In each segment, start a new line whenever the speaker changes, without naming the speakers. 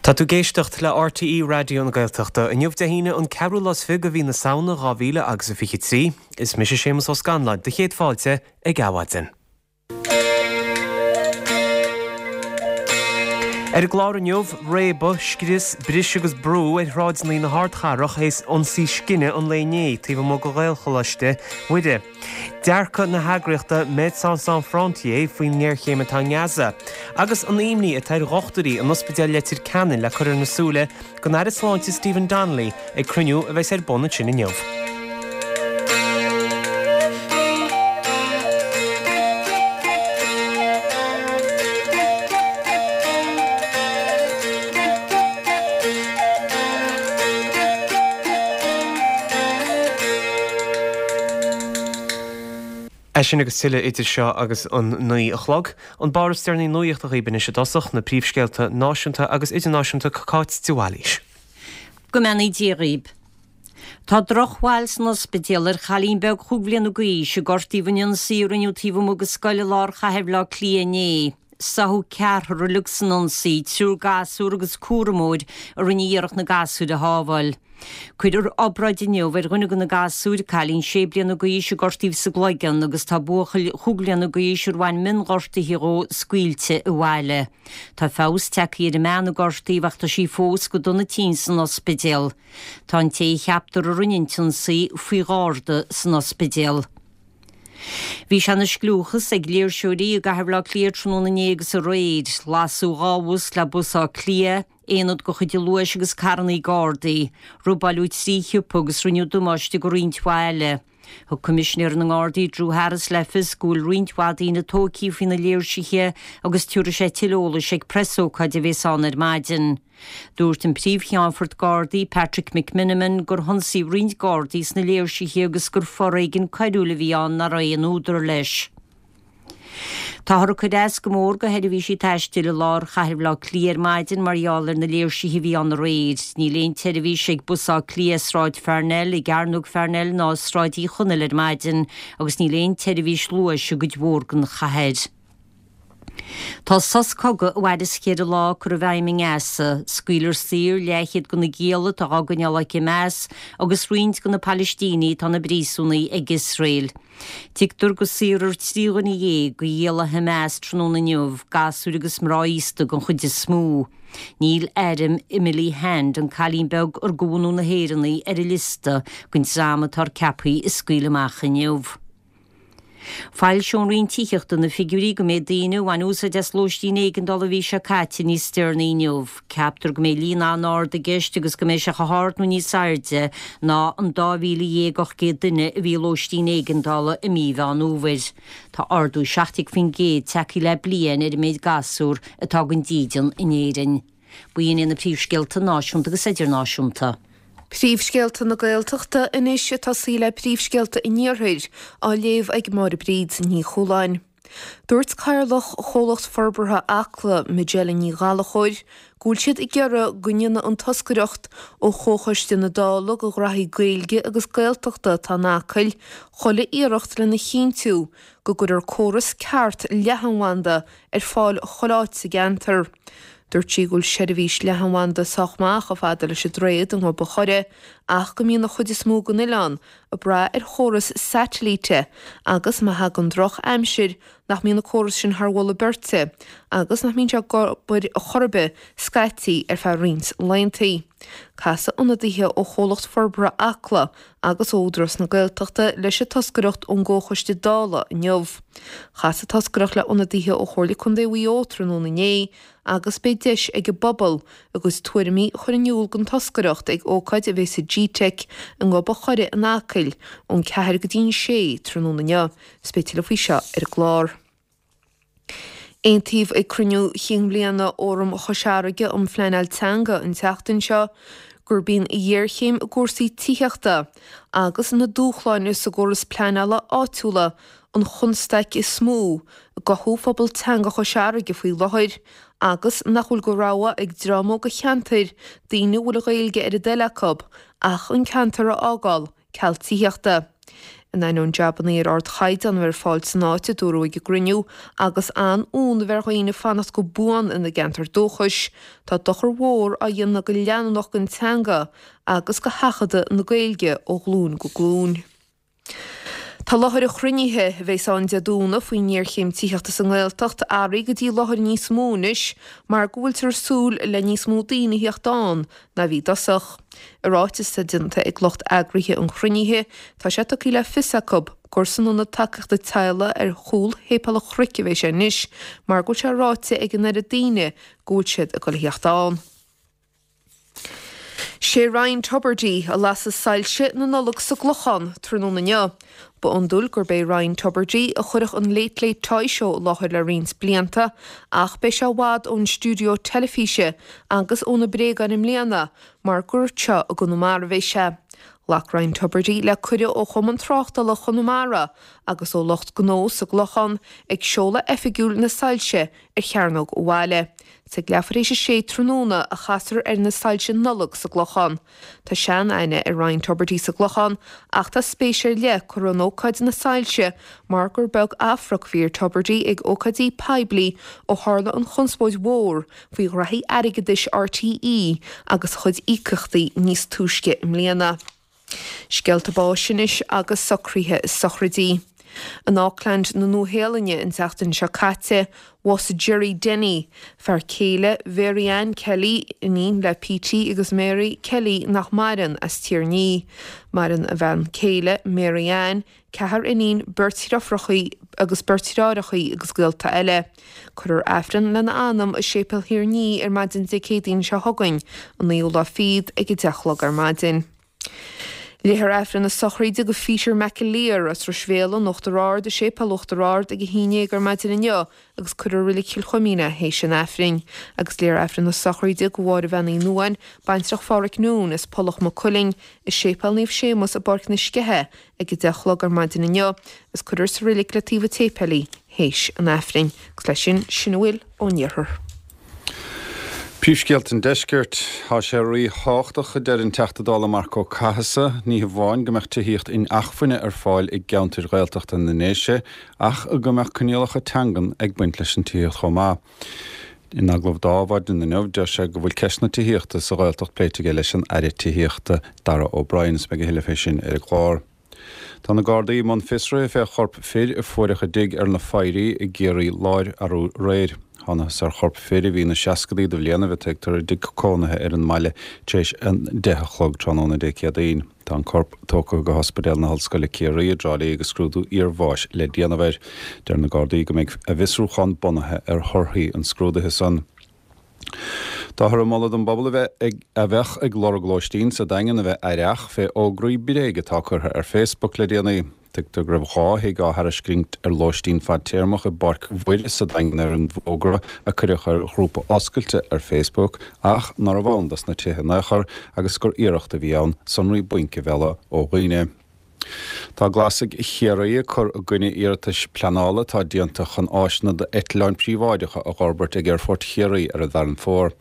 Tá tú ag éisteacht le RTÉ Raidió na Gaeltachta. Inniu Dé hAoine an ceathrú lá is fiche de mhí na Samhna 2000 agus a 23. Is mise Séamus Ó Scanláin, do chéad fáilte ag Adhmhaidin. Ar an gclár inniu, réabadh, scrios, bris agus brú ar shráideanna na hardchathrach théis ionsaí scine an lae inné taobh amuigh de Ghaelcholáiste Mhuire. Dearcadh na heagraíochta Médecins Sans Frontières faoin ngéarchéim atá i nGaza, agus an imní atá ar dhochtúirí in Ospidéal Leitir Ceanainn le cur ar na súile don Aire Sláinte Stephen Donnelly ag cruinniú a bheas ar bun ansin inniu. É sin agus tuilleadh idir seo agus an 9 a chlog. An barr is deireanaí nuachta dhaoibh anois i dtosach, na príomhscéalta náisiúnta agus idirnáisiúnta Cáit de Bhailís.
Go mbeannaí Dia dhaoib. Tá drochbhail san ospidéal ar chailín beag chúig bhliana d'aois a gortaíodh in ionsaí a rinneadh taobh amuigh de scoil i lár chathair Bhaile Átha Cliath inné. Sáthadh ceathrar uilig san ionsaí, triúr gasúr agus cúramóir a rinne iarracht na gasúir a shábháil. Cuirfear obráid inniu ar dhuine de na gasúir, cailín sé bliana d'aois a gortaíodh sa gcloigeann, agus tá buachaill chúig bliana d'aois ar bhain mionghortuithe dhó scaoilte abhaile. Tá feabhas tagtha ar an mbean a gortaíodh ach tá sí fós go dona tinn san ospidéal. Tá an té a cheaptar a rinne an t-ionsaí faoi gharda san ospidéal. Bhí sé ina scliúchas ag léirseoirí i gcathair Bhaile Átha Cliath tráthnóna inné agus aréir. Lasadh 2 bhus le Bus Átha Cliath, aonad de chuid an Luais agus carrannaí Gardaí. Robáileadh 3 shiopa agus rinneadh damáiste do roinnt mhaith eile. Thug Coimisinéir na nGardaí Drew Harris le fios go bhfuil roinnt mhaith daoine tógtha faoi na léirsithe agus tabharfaidh sé tuilleadh eolais ag preasócáid a bhéas ann ar maidin. Dúirt an Príomh-Cheannfort Gardaí, Patrick McMenamin, gur hionsaíodh roinnt Gardaí sna léirsithe agus gur foréigean coiriúil a bhí ann nach raibh aon údar leis. Táthar ag cur as go mór do sheirbhísí taistil i lár chathair Bhaile Átha Cliath ar maidin mar gheall ar na léirsithe a bhí ann aréir. Níl aon tseirbhís ag Bus Átha Cliath i Sráid Pharnell, i gCearnóg Pharnell ná i Sráid Uí Chonaill ar maidin agus níl aon tseirbhís Luais i gcuid mhór den chathair. Tá sos cogaidh a mhaireas cheithre lá curtha i bhfeidhm i nGaza. Scaoilfear saor leathchéad de na gialla atá á gcoinneáil ag Hamas agus roinnt de na Palaistínigh atá ina bpríosúnaigh ag Iosrael. Tuigtear go saorfar 13 dhuine de ghialla Hamas tráthnóna inniu, gasúir agus mná aosta den chuid is mó. Níl ainm Emily Hand, an cailín beag ar de bhunadh na hÉireann í, ar an liosta den dream atá ceaptha a scaoileadh amach inniu. Foilseoidh an Roinn Tithíochta na figiúirí don méid daoine a bhain úsáid as lóistín éigeandála an mhí seo caite níos deireanaí inniu. Ceaptar go mbeidh líon an-ard i gceist agus go mbeidh sé chomh hard nó níos airde ná an 12,800 duine a bhí i lóistín éigeandála i mí Mheán Fhómhair. Tá ardú 17% tagtha le bliain ar an méid gasúr atá gan dídean in Éirinn. B'in iad na príomhscéalta náisiúnta agus idirnáisiúnta.
Príomhscéalta na Gaeltachta anois ag tosaí le príomhscéalta an Iarthair á léamh ag Máire Bríd Ní Chualáin. Dúirt Cathaoirleach Chomhlacht Forbartha Acla, Majella Ní Ghallchóir, go bhfuil siad ag iarraidh go ndéanfaidh an toscaireacht ó Chomhchoiste na Dála do Ghraithí Gaeilge agus Gaeltachta atá in Acaill chuile iarracht lena chinntiú go gcuirfear córas ceart leathanbhanda ar fáil chuile áit sa gceantar. Dúirt sí go bhfuil seirbhís leathanbhanda sách maith chomh fada leis an droichead i nGob an Choire ach go mbíonn an chuid is mó den oileán ag brath ar chóras satailíte agus má thagann droch aimsir nach mbíonn an córas sin thar mholadh beirte agus nach mbíonn sé ag obair chor ar bith scaití ar feadh roinnt laethanta. Casfaidh ionadaithe ó Chomhlacht Forbartha Acla agus ó Údarás na Gaeltachta leis an toscaireacht ón gComhchoiste Dála inniu. Chas an toscaireacht le ionadaithe ó Chomhairle Contae Mhaigh Eo tráthnóna inné agus beidh deis ag an bpobal a gcuid tuairimí a chur in iúl don toscaireacht ag ócáid a bheidh sa Gteic i nGob an Choire in Acaill ón 4 go dtí an 6 tráthnóna inniu. Is beidh tuilleadh faoi seo ar an gclár. Aontaíodh ag cruinniú chinn bhliana Fhóram Chois Fharraige um Phleanáil Teanga an tseachtain seo gurb í an ghéarchéim i gcúrsaí tithíochta agus na dúshláin sa gcóras pleanála áitiúla an chonstaic is mó i gcothú phobal teanga Chois Fharraige faoi láthair agus nach bhfuil de rogha ag dream óg an cheantair, daoine a bhfuil an Ghaeilge ar a dtoil acu, ach an ceantar a fhágáil. ceal tithíochta. In ainneoin jabannaí ar ardchaighdeán a bheith ar fáil san áit, a dúradh ag an gcruinniú, agus an-fhonn a bheith ar dhaoine fanacht go buan ina gceantar dúchais, tá dochar mhór á dhéanamh go leanúnach don teanga agus go sheachadadh na Gaeilge ó ghlúin go glúin. Tá láthair an chruinnithe, a bheas ann Dé Domhnaigh faoin ngéarchéim tithíochta sa nGaeltacht, athraithe go dtí láthair níos mó anois mar go bhfuiltear ag súil le níos mó daoine a theacht ann ná a bhí i dtosach. I ráiteas atá déanta ag lucht eagraithe an chruinnithe, tá sé tugtha le fios acu gur san Ionad Tacaíochta Teaghlaigh ar chúl Shéipéal an Chnoic a bheidh sé anois mar go bhfuil sé ráite ag an oiread daoine go bhfuil siad ag dul a theacht ann. Sé Ryan Tubridy a lasfaidh soilse na Nollag sa gClochán tráthnóna inniu. Ba iondúil gurb é Ryan Tubridy a chuirfeadh an Late Late Toy Show i láthair le roinnt blianta ach beidh sé i bhfad ón stiúideo teilifíse agus ó na bréagáin i mbliana mar gur anseo i gConamara a bheidh sé. Ghlac Ryan Tubridy le cuireadh ó Chumann Tráchtála Chonamara agus ó lucht gnó sa gClochán ag seoladh oifigiúil na soilse ar Chearnóg an bhaile. Is ag leathuair théis a sé tráthnóna a chasfar ar na soilse Nollag sa gClochán. Tá sean-aithne ar Ryan Tubridy sa gClochán ach tá spéis ar leith curtha in ócáid na soilse mar gur beag athphriúc a bhí ar Tubridy ag ócáidí poiblí ó tharla an chonspóid mhór faoi ghraithí airgeadais RTÉ agus a chuid íocaíochtaí níos túisce i mbliana. Scéalta báis anois agus socruithe sochraidí. In Auckland na Nua-Shéalainne an tseachtain seo caite, bhásaigh Gerry Denny, fear céile Mhary Ann Kelly, iníon le Petey agus Mary Kelly nach maireann, as Tír an Fhia. Maireann a bhean céile, Mary Ann, ceathrar iníon, beirt dhriofrachaí agus beirt dhreáireachaí agus gaolta eile. Cuirfear Aifreann lena anam i Séipéal Thír an Fhia ar maidin Dé Céadaoin seo chugainn, an naoú lá fichead, ag 10 a chlog ar maidin. Léifear Aifreann na sochraide do Pheter McAleer as Ros Mhéala in Uachtar Ard i Séipéal Uachtar Ard ag 11 ar maidin inniu agus cuirfear i Reilig Chill Chuimín é théis an Aifrinn. Agus léifear Aifreann na sochraide do Mháire Bhean Uí Nuadháin, baintreach Phádhraic Noone as Pollach Maigh Cuilinn, i Séipéal Naomh Séamus i bPáirc na Sceiche ag 10 a chlog ar maidin inniu agus cuirfear sa reilig le taobh an tséipéil í théis an Aifrinn. Agus leis sin, sin a bhfuil ón iarthar.
Príomhscéalta an Deiscirt. Tá sé ríthábhachtach, a deir an Teachta Dála Marc Ó Cathasaigh, ní hamháin go mbeadh tithíocht inacmhainne ar fáil i gceantair Ghaeltachta na nDéise ach go mbeadh coinníollacha teangan ag baint leis an tithíocht chomh maith. In agallamh do Adhmhaidin inniu, deir sé go bhfuil ceist na tithíochta sa Ghaeltacht pléite aige leis an Aire Tithíochta, Darragh O'Brien, is beidh a thuilleadh fé sin ar an gclár. Tá na Gardaí i mbun fiosraithe fé chorp fir a fuaireadh i dtigh ar na Foirí i gCiarraí Láir arú aréir. Thánathas ar chorp fir a bhí ina seascadaí de bhlianaibh, a tuigtear, i dtigh cónaithe ar an mbaile tar éis a 10 a chlog tráthnóna Dé Céadaoin. Tá an corp tógtha go hOspidéal na hOllscoile Ciarraí i dTrá Lí agus scrúdú iarbháis le déanamh air. Deir na Gardaí go mbeidh a bhfiosrúchán bunaithe ar thorthaí an scrúdaithe san. Táthar ag moladh don bpobal a bheith ag a bheadh ag lorg lóistín sa Daingean a bheith aireach fé fhógraí bréige atá curtha ar Facebook le déanaí. Tuigtear go raibh 2 thigh á thairiscint ar lóistín fadtéarmach i bPáirc Mhuire sa Daingean ar an bhfógra a cuireadh ar ghrúpa oscailte ar Facebook ach nárbh ann dos na tithe in aon chor agus gur iarracht a bhí ann sonraí bainc a mhealladh ó dhaoine. Tá Glasaigh Chiarraí ag cur i gcoinne iarratais pleanála atá déanta chun áiseanna d'eitleáin príobháideacha a dh'fhorbairt ag Aerfort Chiarraí ar an bhFearann Mhór.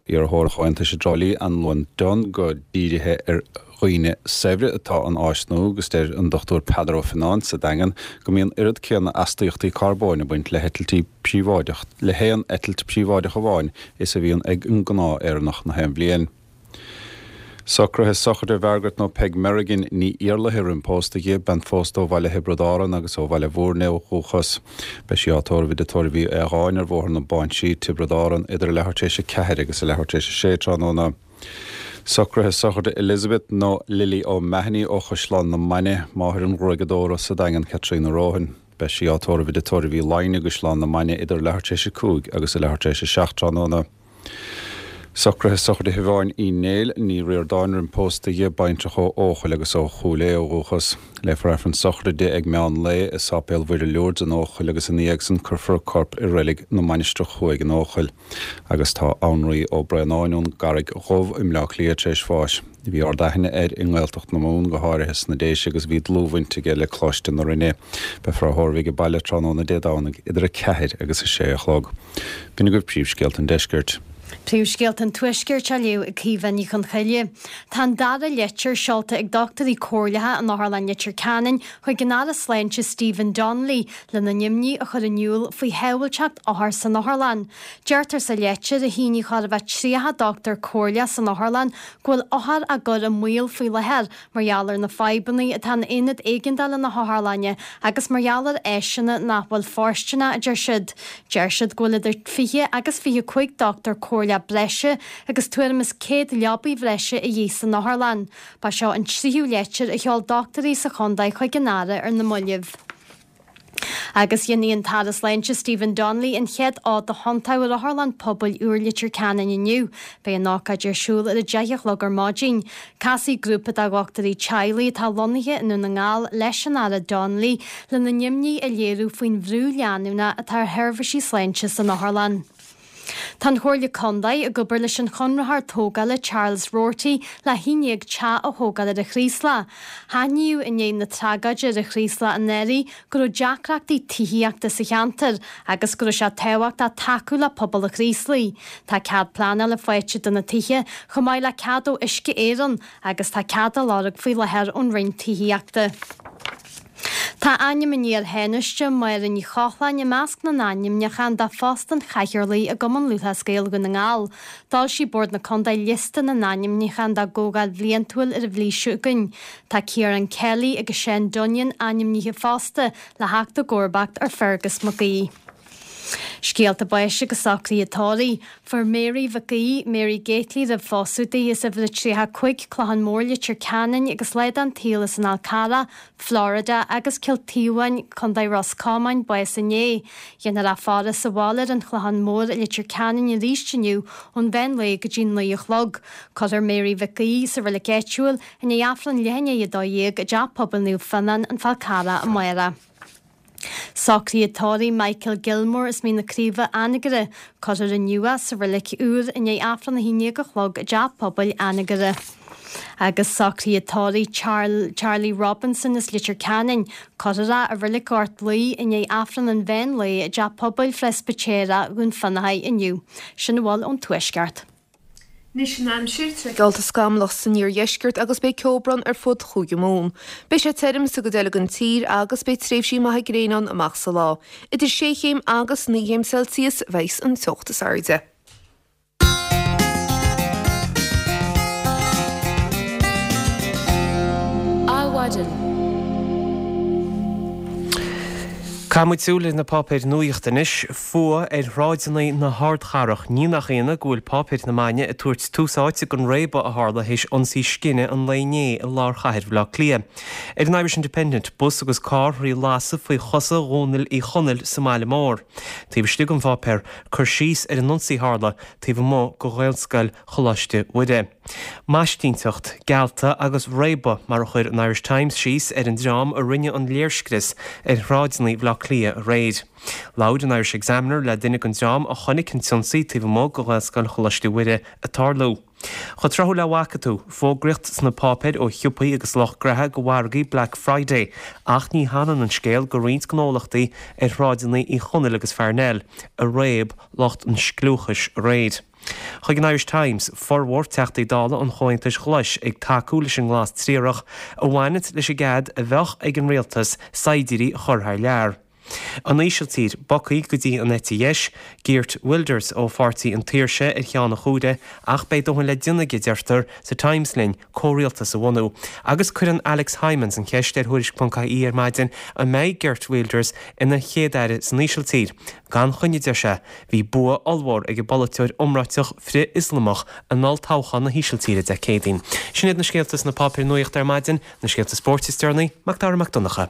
Iarrthóir an Chomhaontais i dTrá Lí, Anluan Dunne, go dírithe ar dhaoine saibhre atá an áis nua agus deir an Dr Peadar Ó Fionnáin sa Daingean go mbíonn oiread céanna astaíochtaí carbóin ag baint le heitiltí príobháideach le haon eitilt príobháideach amháin is a bhíonn ag an gnáth-Éireannach na haon bhliain. Socruithe sochraide Mhargaret nó Peig Merrigan, Ní Iarlaithe roim pósta di, bean phósta ó bhaile Thiobraid Árann agus ó Bhaile Bhúirne ó dhúchas. Beidh sí á tórramh i dTigh Tórraimh Uí Aodháin ar Bhóthar na Báinsí, Tiobraid Árann, idir a leathuair tar éis a ceathair agus a leathuair tar éis a sé tráthnóna. Socruithe sochraide Elizabeth nó Lily O'Mahony ó Chaisleán na Mainge, máthair an ghruaigeadóra sa Daingean Caitríona Rohan. Beidh sí á tórramh i dTigh Tórraimh Uí Laighin i gCaisleán na Mainge idir a leathuair tar éis a cúig agus a leathuair tar éis a seacht tráthnóna. Socruithe sochraide Shiobháin Uí Néill, Ní Ríordáin, roim pósta di, baintreach ó Eochaill agus ó Chúil Aodha ó dhúchas. Léifear Aifreann sochraide di ag meán lae i Sáipéal Mhuire Lourdes in Eochaill agus ina dhiaidh san cuirfear a corp i Reilig na Mainistreach Thuaidh in Eochaill. Agus tá Annraoi Ó Braonáin ón gCarraig Dhubh i mBleá Cliath tar éis bháis. Bhí ard-aithne air i nGaeltacht na Mumhan, go háirithe sna Déise agus bhí dlúthbhaint aige le Coláiste na Rinne. Beifear á thórramh age baile tráthnóna Dé Domhnaigh idir 4 agus 6 a chlog. B'in agaibh príomhscéalta an deiscirt.
Príomhscéalta an Tuaiscirt á léamh ag Caoimhe Ní Chonchoille. Tá an dara leitir seolta ag dochtúirí comhairleacha in Otharlann Leitir Ceanainn chuig an Aire Sláinte Stephen Donnelly lena n-imní a chur in iúl faoi shábháilteacht othar san otharlann. Deirtear sa leitir, a shínigh chóir a bheith 30 dochtúir comhairleach san otharlann, go bhfuil othair á gcur i mbaol faoi láthair mar gheall ar na fadhbanna atá in aonad éigeandála na hotharlainne agus mar gheall ar áiseanna nach bhfuil fóirsteanach, a deir siad. Deir siad go bhfuil idir 20 agus 25 dochtúir comhairleach breise agus tuairim is 100 leabaidh bhreise a dhíth san otharlann. Ba seo an tríú leitir a sheol dochtúirí sa chontae chuig an Aire ar na mallaibh. Agus déanfaidh an tAire Sláinte Stephen Donnelly an chéad fhód a thiontú ar Otharlann Pobail úr Leitir Ceanainn inniu. Beidh an ócáid ar siúl ar a 10 a chlog ar maidin. Casfaidh grúpa de dhochtúirí teaghlaigh atá lonnaithe i nDún na nGall leis an Aire Donnelly lena n-imní a léiriú faoin bhrú leanúnach atá ar sheirbhísí sláinte san otharlann. Tá an Chomhairle Contae ag obair leis an chonraitheoir tógála Charles Roarty le 11 teach a thógáil ar an Chraoslach. Aithníodh i ndiaidh na tragóide ar an Chraoslach anuraidh go raibh deacrachtaí tithíochta sa cheantar agus go raibh sé tábhachtach tacú le pobal an Chraoslaigh. Tá cead pleanála faighte do na tithe, chomh maith le cead ó Uisce Éireann agus tá cead á lorg faoi láthair ón Roinn Tithíochta. Tá ainm an iar-Thánaiste, Máire Ní Chochláin, i measc na n-ainmniúchán do phost an Chathaoirligh i gCumann Lúthchleas Gael Dhún na nGall. D'fhoilsigh Bord na Contae liosta na n-ainmniúchán dá gcomhdháil bhliantúil ar an mhí seo chugainn. Tá Ciarán Kelly agus Seán Dunnion ainmnithe fosta le theacht i gcomharbacht ar Fergus Mac Aoidh. Scéalta báis agus socruithe tórraimh. Fuair Mary Mhic Aoidh, Mary Gately roimh phósadh di, as uimhir a 35, Clochán Mór, Leitir Ceanainn agus lá den tsaol as an Fhál Carrach, Florida agus Cill Taobháin, Co. Ros Comáin, bás inné. Déanfar í a fhaire sa bhaile ar an Chlochán Mór i Leitir Ceanainn arís inniu ón mheán lae go dtí 9 a chlog. Cuirfear Mary Mhic Aoidh sa reilig áitiúil i ndiaidh Aifreann leath i ndiaidh a 12 i dTeach Pobail Naomh Fionnán, An Fál Carrach amárach. Socruithe tórraimh Michael Gilmore as Mín na Craoibhe, Anagaire. Cuirfear inniu é sa reilig úr i ndiaidh Aifreann a 11 a chlog i dTeach Pobail Anagaire. Agus socruithe tórraimh Charlie Robinson as Leitir Ceanainn. Cuirfear é i reilig Ghort Laoi i ndiaidh Aifreann an mheán lae i dTeach Pobail Phreispitéireach Dhún Fionnachaidh inniu. Sin a bhfuil ón Tuaisceart.
Anois an aimsir, geallta scamallach san iardheisceart agus beidh ceobhrán ar fud Chúige Mumhan. Beidh sé tirim sa gcuid eile den tír agus beidh tréimhsí maithe gréine ann amach sa lá. Idir sé chéim agus 9 chéim Celsius a bheidh an teocht is airde.
Adhmhaidin. Caithfidh muid súil ar na páipéir nuaíochta anois. Fuath ar shráideanna na hardchathrach. Ní nach ionadh go bhfuil páipéir na maidne ag tabhairt tús áite don réabadh a tharla théis ionsaí scine an lae inné i lár chathair Bhaile Átha Cliath. Ar an Irish Independent, bus agus carr thrí lasadh faoi chosa Dhónaill Uí Chonaill sa mbaile mór. Taobh istigh den pháipéar, cur síos ar an ionsaí a tharla taobh amuigh de Ghaelscoil Choláiste Mhuire. Maistínteacht, geallta agus réabadh mar a chuir an Irish Times síos ar an dream a rinne an léirscrios ar shráideanna Bhaile Átha Cliath aréir. Labhair an Irish Examiner le duine den dream a chonaic an t-ionsaí taobh amuigh de Ghaelscoil Choláiste Mhuire ag tarlú. Chomh tráthúil le bhfaca tú, fógraíocht sna páipéir ó shiopaí agus lucht graithe do mhargaí Black Friday ach ní hanann an scéal go roinnt gnólachtaí ar shráideanna Uí Chonaill agus Pharnell a réab lucht an scliúchais aréir. Chuig an Irish Times, formhór Teachtaí Dála an Chomhaontais Ghlais ag tacú leis an nglas triarach a bhaineanns leis an gcead a bheadh ag an rialtas saighdiúirí a chur thar lear. An Ísiltír, bogtha go dtí an eite dheis, Geert Wilders ó Pháirtí an tSaoirse ar cheann an chuaire ach beidh dóthain le déanamh aige, deirtear sa Times linn, comhrialtas a bhunú. Agus cuireann Alex Hijmans an cheist ar Thuairisc.ie ar maidin an mbeidh Geert Wilders ina Chéad-Aire san Ísiltír? Gan choinne, deir sé. Bhí bua ollmhór ag an bpolaiteoir iomráiteach frith-Ioslamach in olltoghchán na hÍsiltíre Dé Céadaoin. Sin iad na scéalta sna páipéir nuachta ar maidin, na scéalta spóirt is deireanaí, Mac Dara Mac Donncha.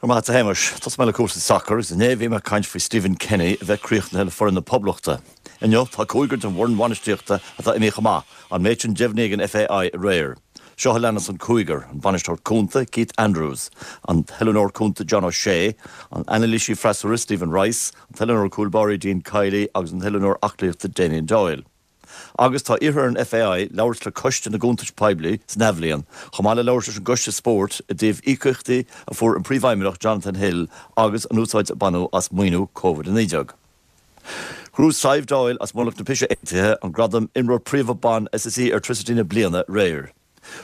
Go raibh maith agat a Shéamais. Tosóidh mé le cúrsaí sacair agus inné bhí mé ag caint faoi Stephen Kenny a bheith críochnaithe le foireann na Poblachta. Inniu tá cúigear den bhfoireann bhainistíochta atá imithe chomh maith, an méid sin deimhnithe ag an FAI aréir. Seo a leanas an cúigear, an bainisteoir cúnta, Keith Andrews, an t-oiliúnóir cúnta John O'Shea, an anailísí freasúra Stephen Rice, an t-oiliúnóir cúl báirí Dean Kiely agus an t-oiliúnóir aclaíochta Damien Doyle. Agus tá iarrtha ar an FAI labhairt le Coiste na gCuntas Poiblí san athbhliain, chomh maith le labhairt leis an gCoiste Spóirt i dtaobh íocaíochtaí a fuair an Príomhfheidhmeannach Jonathan Hill agus an úsáid a baineadh as maoiniú Covid-19. Ghnóthaigh Sadhbh Doyle as Mullach na Pise Aontaithe an gradam Imreoir Príomha Ban SSE Airtricity na Bliana aréir.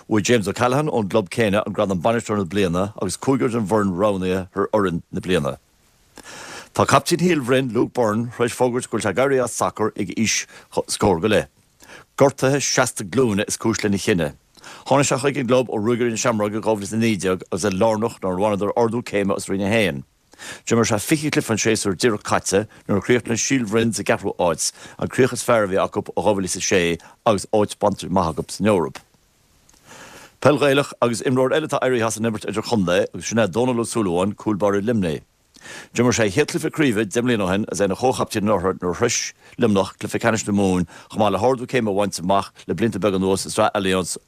Bhuaigh James O'Callaghan ón gclub céanna an gradam Bainisteoir na Bliana agus cúigear den bhfoireann roghnaithe thar Fhoireann na Bliana. Tá captaen Shíol Bhroin, Luke Byrne, tar éis fógairt go bhfuil sé ag éirí as sacar ag aois scór go leith. Gortuithe seasta glúine is cúis lena chinneadh. Tháinig sé chuig an gclub ó Ruagairí na Seamróige i 2019 agus é lárnach nuair a bhaineadar ardú céime as Roinn 1. D'imir sé 20 cluiche an séasúr díreach caite nuair a chríochnaigh Síol Bhroin sa gceathrú áit, an críoch is fearr a bhí acu ó 2006 agus áit bainte amach acu san Eoraip. Peil Ghaelach agus imreoir eile atá éirithe as an imirt idir-chontae agus sin é Dónal Ó Súilleabháin, cúl báire Luimnigh. D'imir sé a chéad chluiche craoibhe deich mbliana ó shin agus é ina chomh-chaptaen an oirthir nuair a shrois Luimneach cluiche ceannais na Mumhan chomh maith le hardú céime a bhaint amach le blianta beaga anuas i Sraith Allianz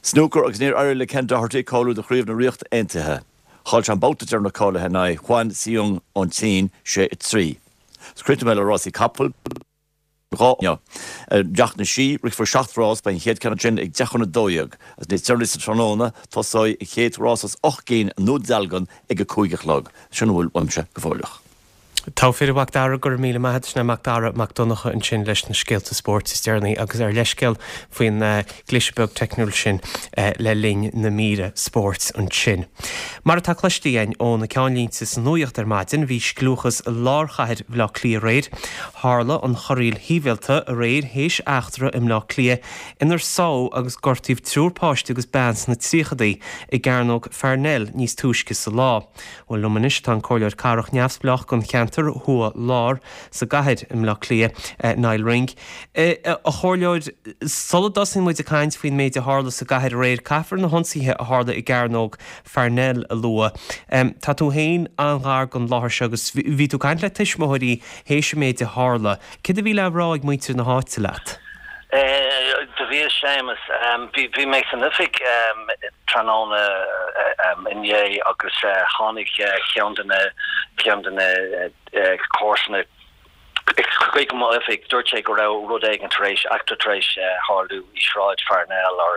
Snúcar agus níor éirigh le Ken Doherty cáiliú do Chraobh na Ríochta Aontaithe. Chaill sé an babhta deireanach cáilithe in aghaidh Huan Siyun ón tSín, 6, 3. Is críochnóidh mé le rásaí capall. 2 inniu. I dTeach na Sí, rithfear 7 rás, beidh an chéad ceann sin ag 10 chun 12, agus níos deireanaí sa tráthnóna, tosóidh an chéad rás as 8 gcinn i nDún Dealgan ag 5 a chlog. Sin a bhfuil uaimse go fóilleach.
Togha fir, a Mhac Dara, go raibh míle maith agat. Sin é Mac Dara Mac Donncha ansin leis na scéalta spóirt is deireanaí agus ár leithscéal faoin gcliseadh beag teicniúil sin le linn na míre spóirt ansin. Mar atá cloiste againn ó na ceannlínte sa nuaíocht ar maidin, bhí scliúchas i lár chathair Bhaile Átha Cliath aréir. Tharla an chorraíl shibhialta aréir théis eachtra i mBleá Cliath inar sádh agus gortaíodh triúr páiste agus bean sna tríochadaí i gCearnóg Pharnell níos túisce sa lá. Bhuel, liom anois tá an Comhairleoir Cathrach neamhspleách don cheantar Thuaidh Lár sa gcathair i mBleá Cliath, Niall Ring. A Chomhairleoir, sula dtosaíonn muid ag caint faoin méid a tharla sa gcathair aréir, caithfear na hionsaithe a tharla i gCearnóg Pharnell a lua. Tá tú féin an-ghar don láthair seo agus bhí tú ag caint le tuismitheoirí théis an méid a tharla. Céard a bhí le rá ag muintir na háite leat?
Do bhíos, Séamus. Bhí mé san oifig tráthnóna inné agus tháinig ceann de na ceann de na comharsana chuig mo oifig. Dúirt sé go raibh rud éigin tar éis, eachtra tar éis tharlú i Sráid Pharnell or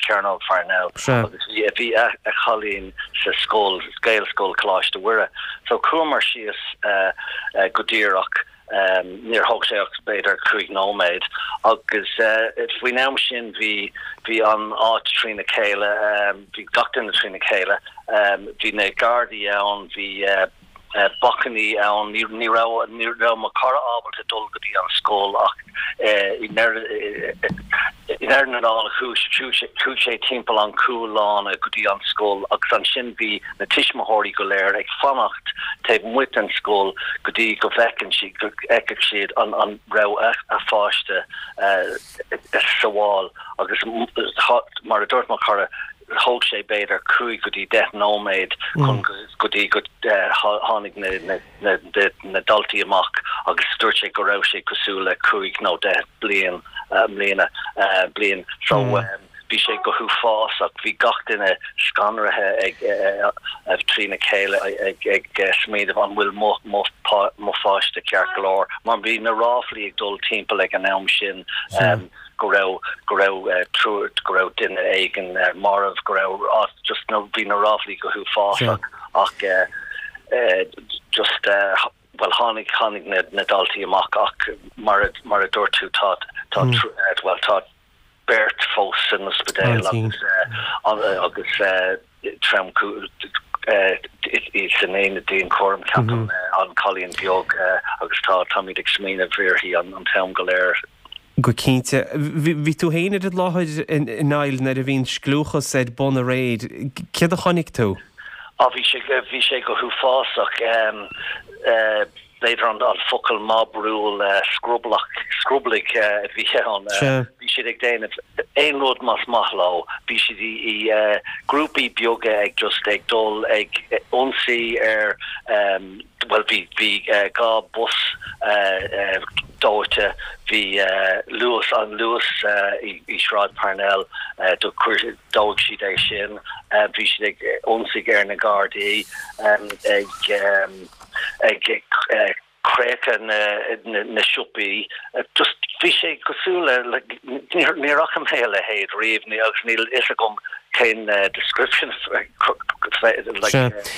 Cearnóg Pharnell agus bhí a chailín sa scoil, Gaelscoil Coláiste Mhuire. So chuamar síos go díreach. Níor thóg sé ach b'fhéidir 5 nóiméad agus faoin am sin bhí bhí an áit trína chéile, bhí gach duine trína chéile. Bhí na Gardaí ann, bhí bacainní ann, ní raibh ní raibh mo chara ábalta dul go dtí an scoil ach i ndeireadh na dála chuaigh sé timpeall an cúl-lána go dtí an scoil agus ansin bhí na tuismitheoirí go léir ag fanacht taobh amuigh den scoil go dtí go bhfeiceann siad, go bhfeicfeadh siad an an raibh a pháiste sábháil agus mar a dúirt mo chara thóg sé b'fhéidir 5 go dtí 10 nóiméad chun go dtí go tháinig na na daltaí amach agus dúirt sé go raibh sé cosúil le 5 nó 10 bliain mbliana bliain so bhí sé go huafásach bhí gach duine scanraithe ag trína chéile ag ag smaoineamh an bhfuil mo mo mo pháiste ceart go leor mar bhí na ráflaí ag dul timpeall ag an am sin go raibh go raibh triúr go raibh duine éigin marbh go raibh just no bhí na ráflaí go huafásach ach just bhuel tháinig tháinig na na daltaí amach ach mar a mar a dúirt tú tá tá bhuel tá beirt fós san ospidéal agus agus trom san aonad dianchúraim ceapaim an cailín beag agus tá táimid ag smaoineamh uirthi an an t-am go léir.
Go cinnte. Bhí tú féin ar an láthair, a Niall, nuair a bhí an scliúchas ar bun aréir. Céard a chonaic tú?
Á, bhí sé, bhí sé go huafásach. B'fhéidir an focal mob rule, scroblach, scroblaigh a bhí ann. Bhí siad ag déanamh aon rud más maith leo. Bhí siad i grúpaí beaga ag just ag dul ag ionsaí ar, Bhuel, bhí, bhí 2 bus dóite, bhí Luas, an Luas i Sráid Parnell, do chuir, dóigh siad é sin, bhí siad ag ionsaigh ar na Gardaí, ag, ag creachadh na, na siopaí, just bhí sé cosúil le, níor, níor fhaca mé a leithéid riamh, agus níl fhios agam. Cén description like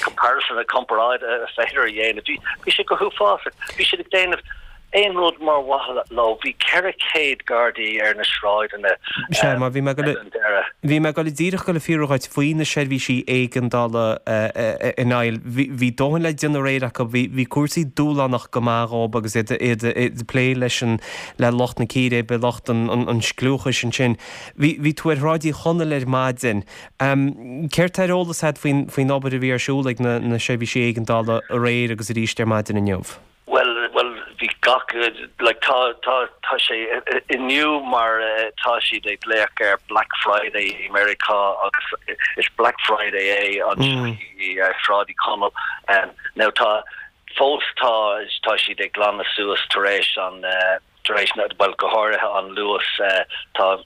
comparison comparáid is féidir a dhéanamh? Bhí sé go huafásach. Bhí siad ag déanamh aon rud mar mhaithe leo. Bhí 400 Gardaí ar na sráideanna
Sea, mar bhí mé ag an deireadh. Bhí mé ag dul díreach ag dul a fiafraí dhuit faoi na seirbhísí éigeandála a Niall. Bhí dóthain le déanamh aréir acu. Bhí cúrsaí dúshlánach go maith dhóib agus iad ag plé leis an le lucht na círéibe, lucht an scliúchais ansin. Bhí tú ar Shráid Uí Chonaill ar maidin. Céard tá ar eolas agat faoin obair a bhí ar siúl ag na seirbhísí éigeandála aréir agus arís ar maidin inniu?
Bhuel, bhuel, bhí gach, like, tá, tá, tá sé inniu mar tá siad ag glaoch ar Black Friday i Meiriceá agus is Black Friday é anseo i Sráid Uí Chonaill. Now tá, fós tá, tá siad ag glanadh suas tar éis an, tar éis na, bhuel, go háirithe an Luas, tá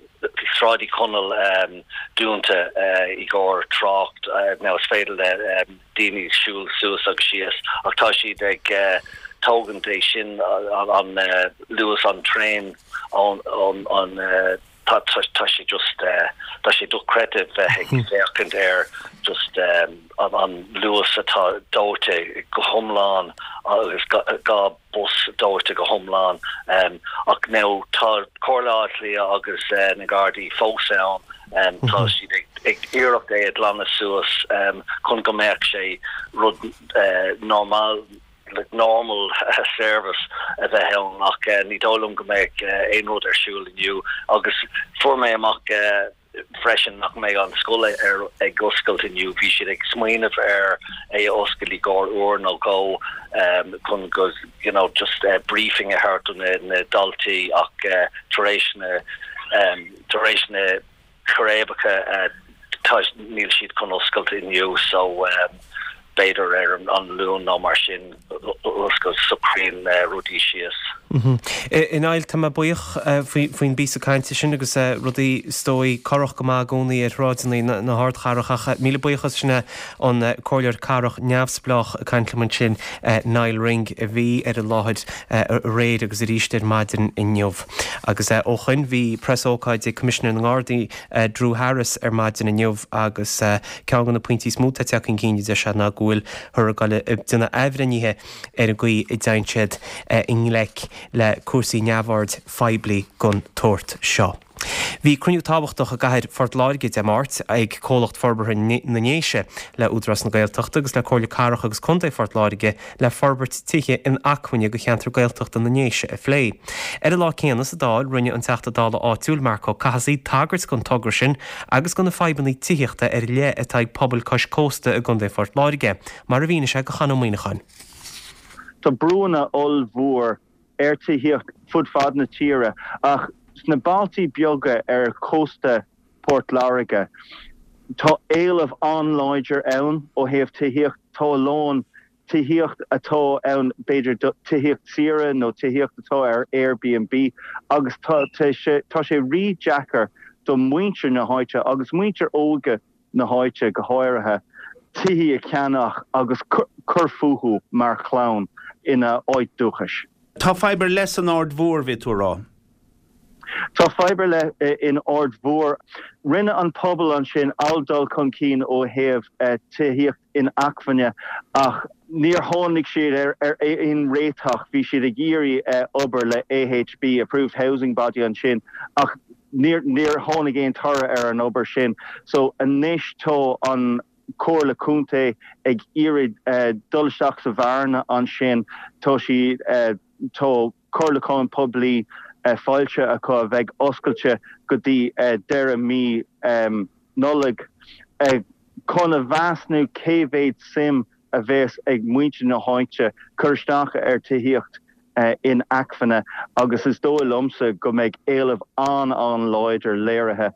Sráid Uí Chonaill dúnta i gcomhair trácht, now is féidir le daoine siúl suas agus síos ach tá siad ag tógaint é sin, an Luas, an traein ón, ón, tá, tá sé just, tá sé dochreidte bheith ag féachaint ar just an Luas atá dóite go hiomlán agus 2 bus dóite go hiomlán. Ach now tá Comhairle Átha Cliath agus na Gardaí fós ann, tá siad ag iarracht é a ghlanadh suas chun go mbeadh sé rud normal, like normal service a bheith ann ach ní dóigh liom go mbeidh aon rud ar siúl inniu agus fuair mé amach freisin nach mbeidh an scoil ar ag oscailt inniu. Bhí siad ag smaoineamh ar é a oscailt i gcomhair uair nó dhó chun go you know just briefing a thabhairt do na daltaí ach tar éis na tar éis na círéibeacha tá níl siad chun oscailt inniu so b'fhéidir ar an Luan nó mar sin go socraíonn rudaí síos.
A Niall, tá mé buíoch faoin bpíosa cainte sin agus rudaí is dóigh corrach go maith i gcónaí ar shráideanna na hardchathrach ach míle buíochas sin é an Comhairleoir Cathrach neamhspleách ag caint liom ansin, Niall Ring a bhí ar an láthair aréir agus arís ar maidin inniu. Agus ó shoin bhí preasócáid ag Coimisinéir na nGardaí Drew Harris ar maidin inniu agus ceann de na pointí is mó atá tagtha chun cinn a deir sé ná go bhfuilthear ag dul ag déanamh athbhreithnithe ar an gcaoi a dtéann siad i ngleic le cúrsaí neamhoird phoiblí den tsórt seo. Bhí cruinniú tábhachtach i gcathair Phort Láirge Dé Máirt ag Comhlacht Forbartha na nDéise le Údarás na Gaeltachta agus le Comhairle Cathrach agus Contae Phort Láirge le forbairt tithe inacmhainne do cheantar Gaeltachta na nDéise a phlé. Ar an lá céanna sa Dáil rinne an Teachta Dála áitiúil Marc Ó Cathasaigh tagairt don togra sin agus do na fadhbanna tithíochta ar leith atá ag pobail cois cósta i gContae Phort Láirge, mar a mhínigh sé do Chon Ó Muíneacháin.
Tá brúanna ollmhór ar tithíocht fud fad na tíre ach sna bailtí beaga ar chósta Port Láirge tá éileamh an-láidir ann ó thaobh tithíocht. Tá a lán tithíocht atá ann, b'fhéidir tithíocht saoire nó tithíocht atá ar Airbnb agus tá sé rí-deacair do mhuintir na háite agus muintir óige na háite go háirithe, tithí a cheannach agus cur fúthu mar chlann ina áit dúchais.
Tá fadhb ar leith san Aird Mhór, bhí tú a rá.
Tá fadhb ar leith in Aird Mhór. Rinne an pobal ansin an-dul chun cinn ó thaobh tithíocht inacmhainne ach níor tháinig siad ar aon réiteach. Bhí siad ag iarraidh obair le AHB, Approved Housing Body, ansin ach níor níor tháinig aon toradh ar an obair sin. So anois tá an Comhairle Contae ag iarraidh dul isteach sa bhearna ansin. Tá siad tá comhairliúchán poiblí foilsithe acu a bheidh oscailte go dtí deireadh mí Nollag chun a mheasnú cé mhéad suim a bheas ag muintir na háite cur isteach ar tithíocht inacmhainne agus is dóigh liomsa go mbeidh éileamh an-an-láidir léirithe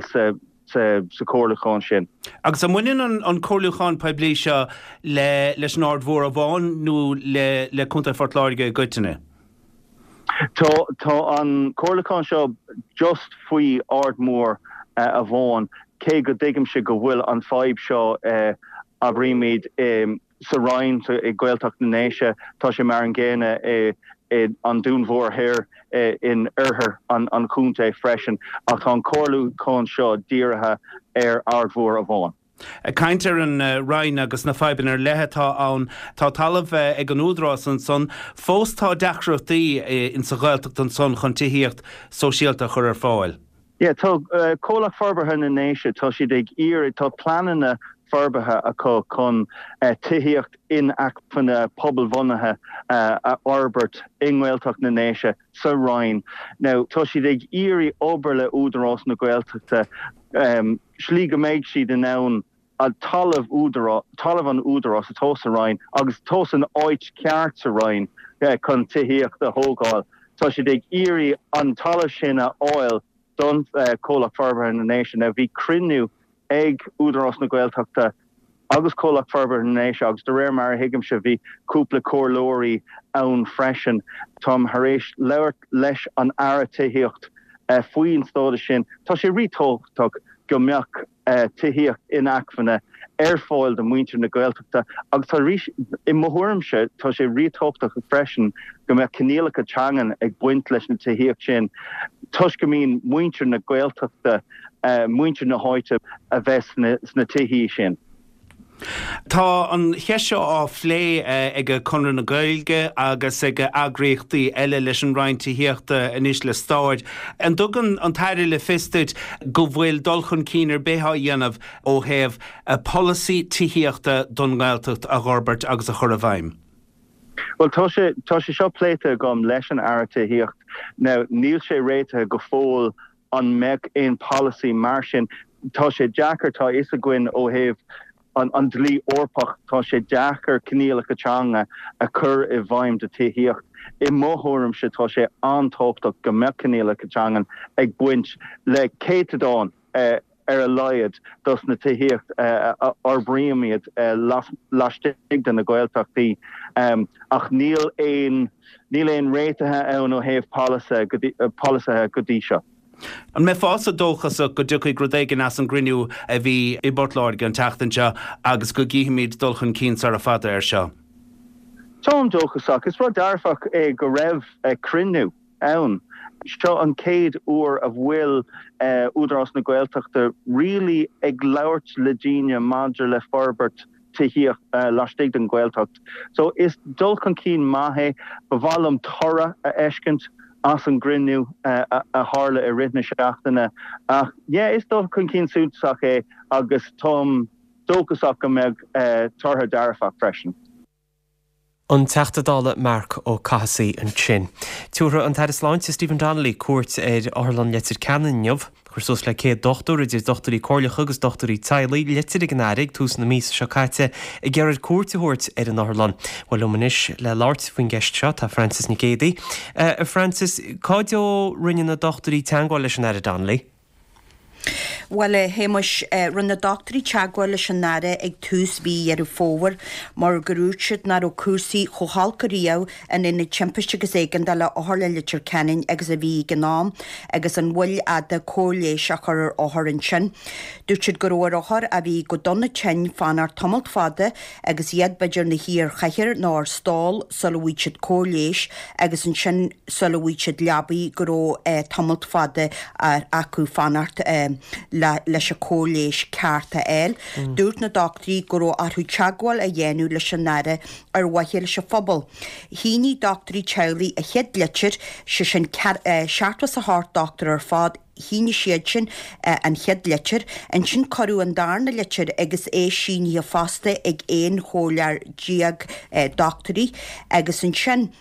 sa sa chomhairliúchán sin.
Agus an mbaineann an comhairliúchán poiblí seo leis an Aird Mhór amháin nó le Contae Phort Láirge i gcoitinne?
Tá tá an comhairliúchán seo just faoi Aird Mhór amháin, cé go dtuigimse go bhfuil an fadhb seo, abraímid, sa Rinn, i Gaeltacht na nDéise, tá sé mar an gcéanna i. in An Dún Mhór Thoir in oirthear an chontae freisin ach tá an comhairliúchán seo dírithe ar Aird Mhór amháin.
Ag caint ar an Rinn agus na fadhbanna ar leith atá ann, tá talamh ag an Údarás ansan. Fós tá deacrachtaí insa Ghaeltacht ansan chun tithíocht sóisialta a chur ar fáil.
Yeah, tá Comhlacht Forbartha na nDéise, tá siad ag iarraidh, tá pleananna forbartha acu chun tithíocht inacmhainne pobalbhunaithe a fhorbairt i nGaeltacht na nDéise sa Rinn. Now, tá siad ag iarraidh obair le Údarás na Gaeltachta slí go mbeidh siad in ann talamh údarás, talamh an Údaráis atá sa Rinn agus atá san áit ceart sa Rinn chun tithíocht a thógáil. Tá siad ag iarraidh an talamh sin a fháil don Chomhlacht Forbartha na nDéise. Now bhí cruinniú ag Údarás na Gaeltachta agus Comhlacht Forbartha na nDéise agus de réir mar a thuigimse bhí cúpla comhairleoirí ann freisin. Táim thar éis labhairt leis an Aire Tithíocht faoin stádas sin. Tá sé rí-tábhachtach go mbeadh tithíocht inacmhainne ar fáil do mhuintir na Gaeltachta agus tá arís, i mo thuairimse, tá sé rí-tábhachtach freisin go mbeadh coinníollacha teangan ag baint leis na tithíocht sin toisc go mbíonn muintir na Gaeltachta, muintir na háite a bheith sna tithí sin.
Tá an cheist seo á phlé ag Conradh na Gaeilge agus ag eagraíochtaí eile leis an Roinn Tithíochta anois le stair. An dtugann an tAire le fios duit go bhfuil dul chun cinn ar bith á dhéanamh ó thaobh polasaí tithíochta don nGaeltacht a dh'fhorbairt agus a chur i bhfeidhm?
Bhuel, tá sé, tá sé seo pléite agam leis an Aire Tithíocht. Now, níl sé réitithe go fóill An mbeadh aon polasaí mar sin? Tá sé deacair, tá a fhios againn ó thaobh an dlí Eorpach, tá sé deacair coinníollacha teanga a chur i bhfeidhm do tithíocht. I mo thuairimse, tá sé an-tábhachtach go mbeadh coinníollacha teangan ag baint le céatadán ar a laghad dos na tithíocht a fhorbraímid laistigh de na Gaeltachtaí. Ach níl aon. Níl aon réitithe ann ó thaobh polasaithe go dtí seo.
An mbeifeása dóchasach go dtiocfaidh rud éigin as an gcruinniú a bhí i bPort Láirge an tseachtain seo agus go gcífimid dul chun cinn sara fada air seo?
Táim dóchasach. Is rud dearfach é go raibh cruinniú ann. Seo an chéad uair a bhfuil Údarás na Gaeltachta really ag labhairt le daoine maidir le forbairt tithíocht laistigh den Ghaeltacht. So is dul chun cinn maith é. Ba mhaith liom toradh a fheiscint as an gcruinniú a tharla i rith na seachtaine. Ach yeah, is dul chun cinn suntasach é agus táim dóchasach go mbeidh tortha dearfach freisin.
An Teachta Dála Marc Ó Cathasaigh ansin. Tabharfaidh an tAire Sláinte Stephen Donnelly cuairt ar Otharlann Leitir Ceanainn inniu. Chuir suas le 100 dochtúir, idir dochtúirí comhairleacha agus dochtúirí teaghlaigh, litir ag an Aire ag tús na míosa seo caite ag iarraidh air cuairt a thabhairt ar an otharlann. Bhuel liom anois le labhairt faoin gceist seo tá Frances Nic Géadaigh. A Frances, cá deo rinne na dochtúirí teagmháil leis an Aire Donnelly?
Bhuel, a Shéamais, rinne na dochtúirí teagmháil leis an Aire ag tús mhí Dheireadh Fómhair mar gur dhúirt siad nach raibh cúrsaí chomh holc ariamh in Aonad Timpiste agus Éigeandála Otharlann Leitir Ceanainn agus a bhí ag an am agus an mhoill fhada cóir leighis á chur ar othair ansin. Dúirt siad go raibh ar othair a bhí go dona tinn fanacht tamalt fada agus iad b'fhéidir ina shuí ar chathaoir nó ar stól sula bhfaigheadh siad cóir leighis agus ansin sula bhfaigheadh siad leabaidh go raibh tamalt fada acu fanacht leis an cóir leighis ceart a fháil. Dúirt na dochtúirí go raibh orthu teagmháil a dhéanamh leis an Aire ar mhaithe leis an phobal. Shínigh dochtúirí teaghlaigh a chéad litir, sé sin 78 dochtúir ar fad, shínigh siad sin an chéad litir. Ansin cuireadh an darna litir agus é sínithe fosta ag 11 chomhairleoir dochtúirí agus ansin,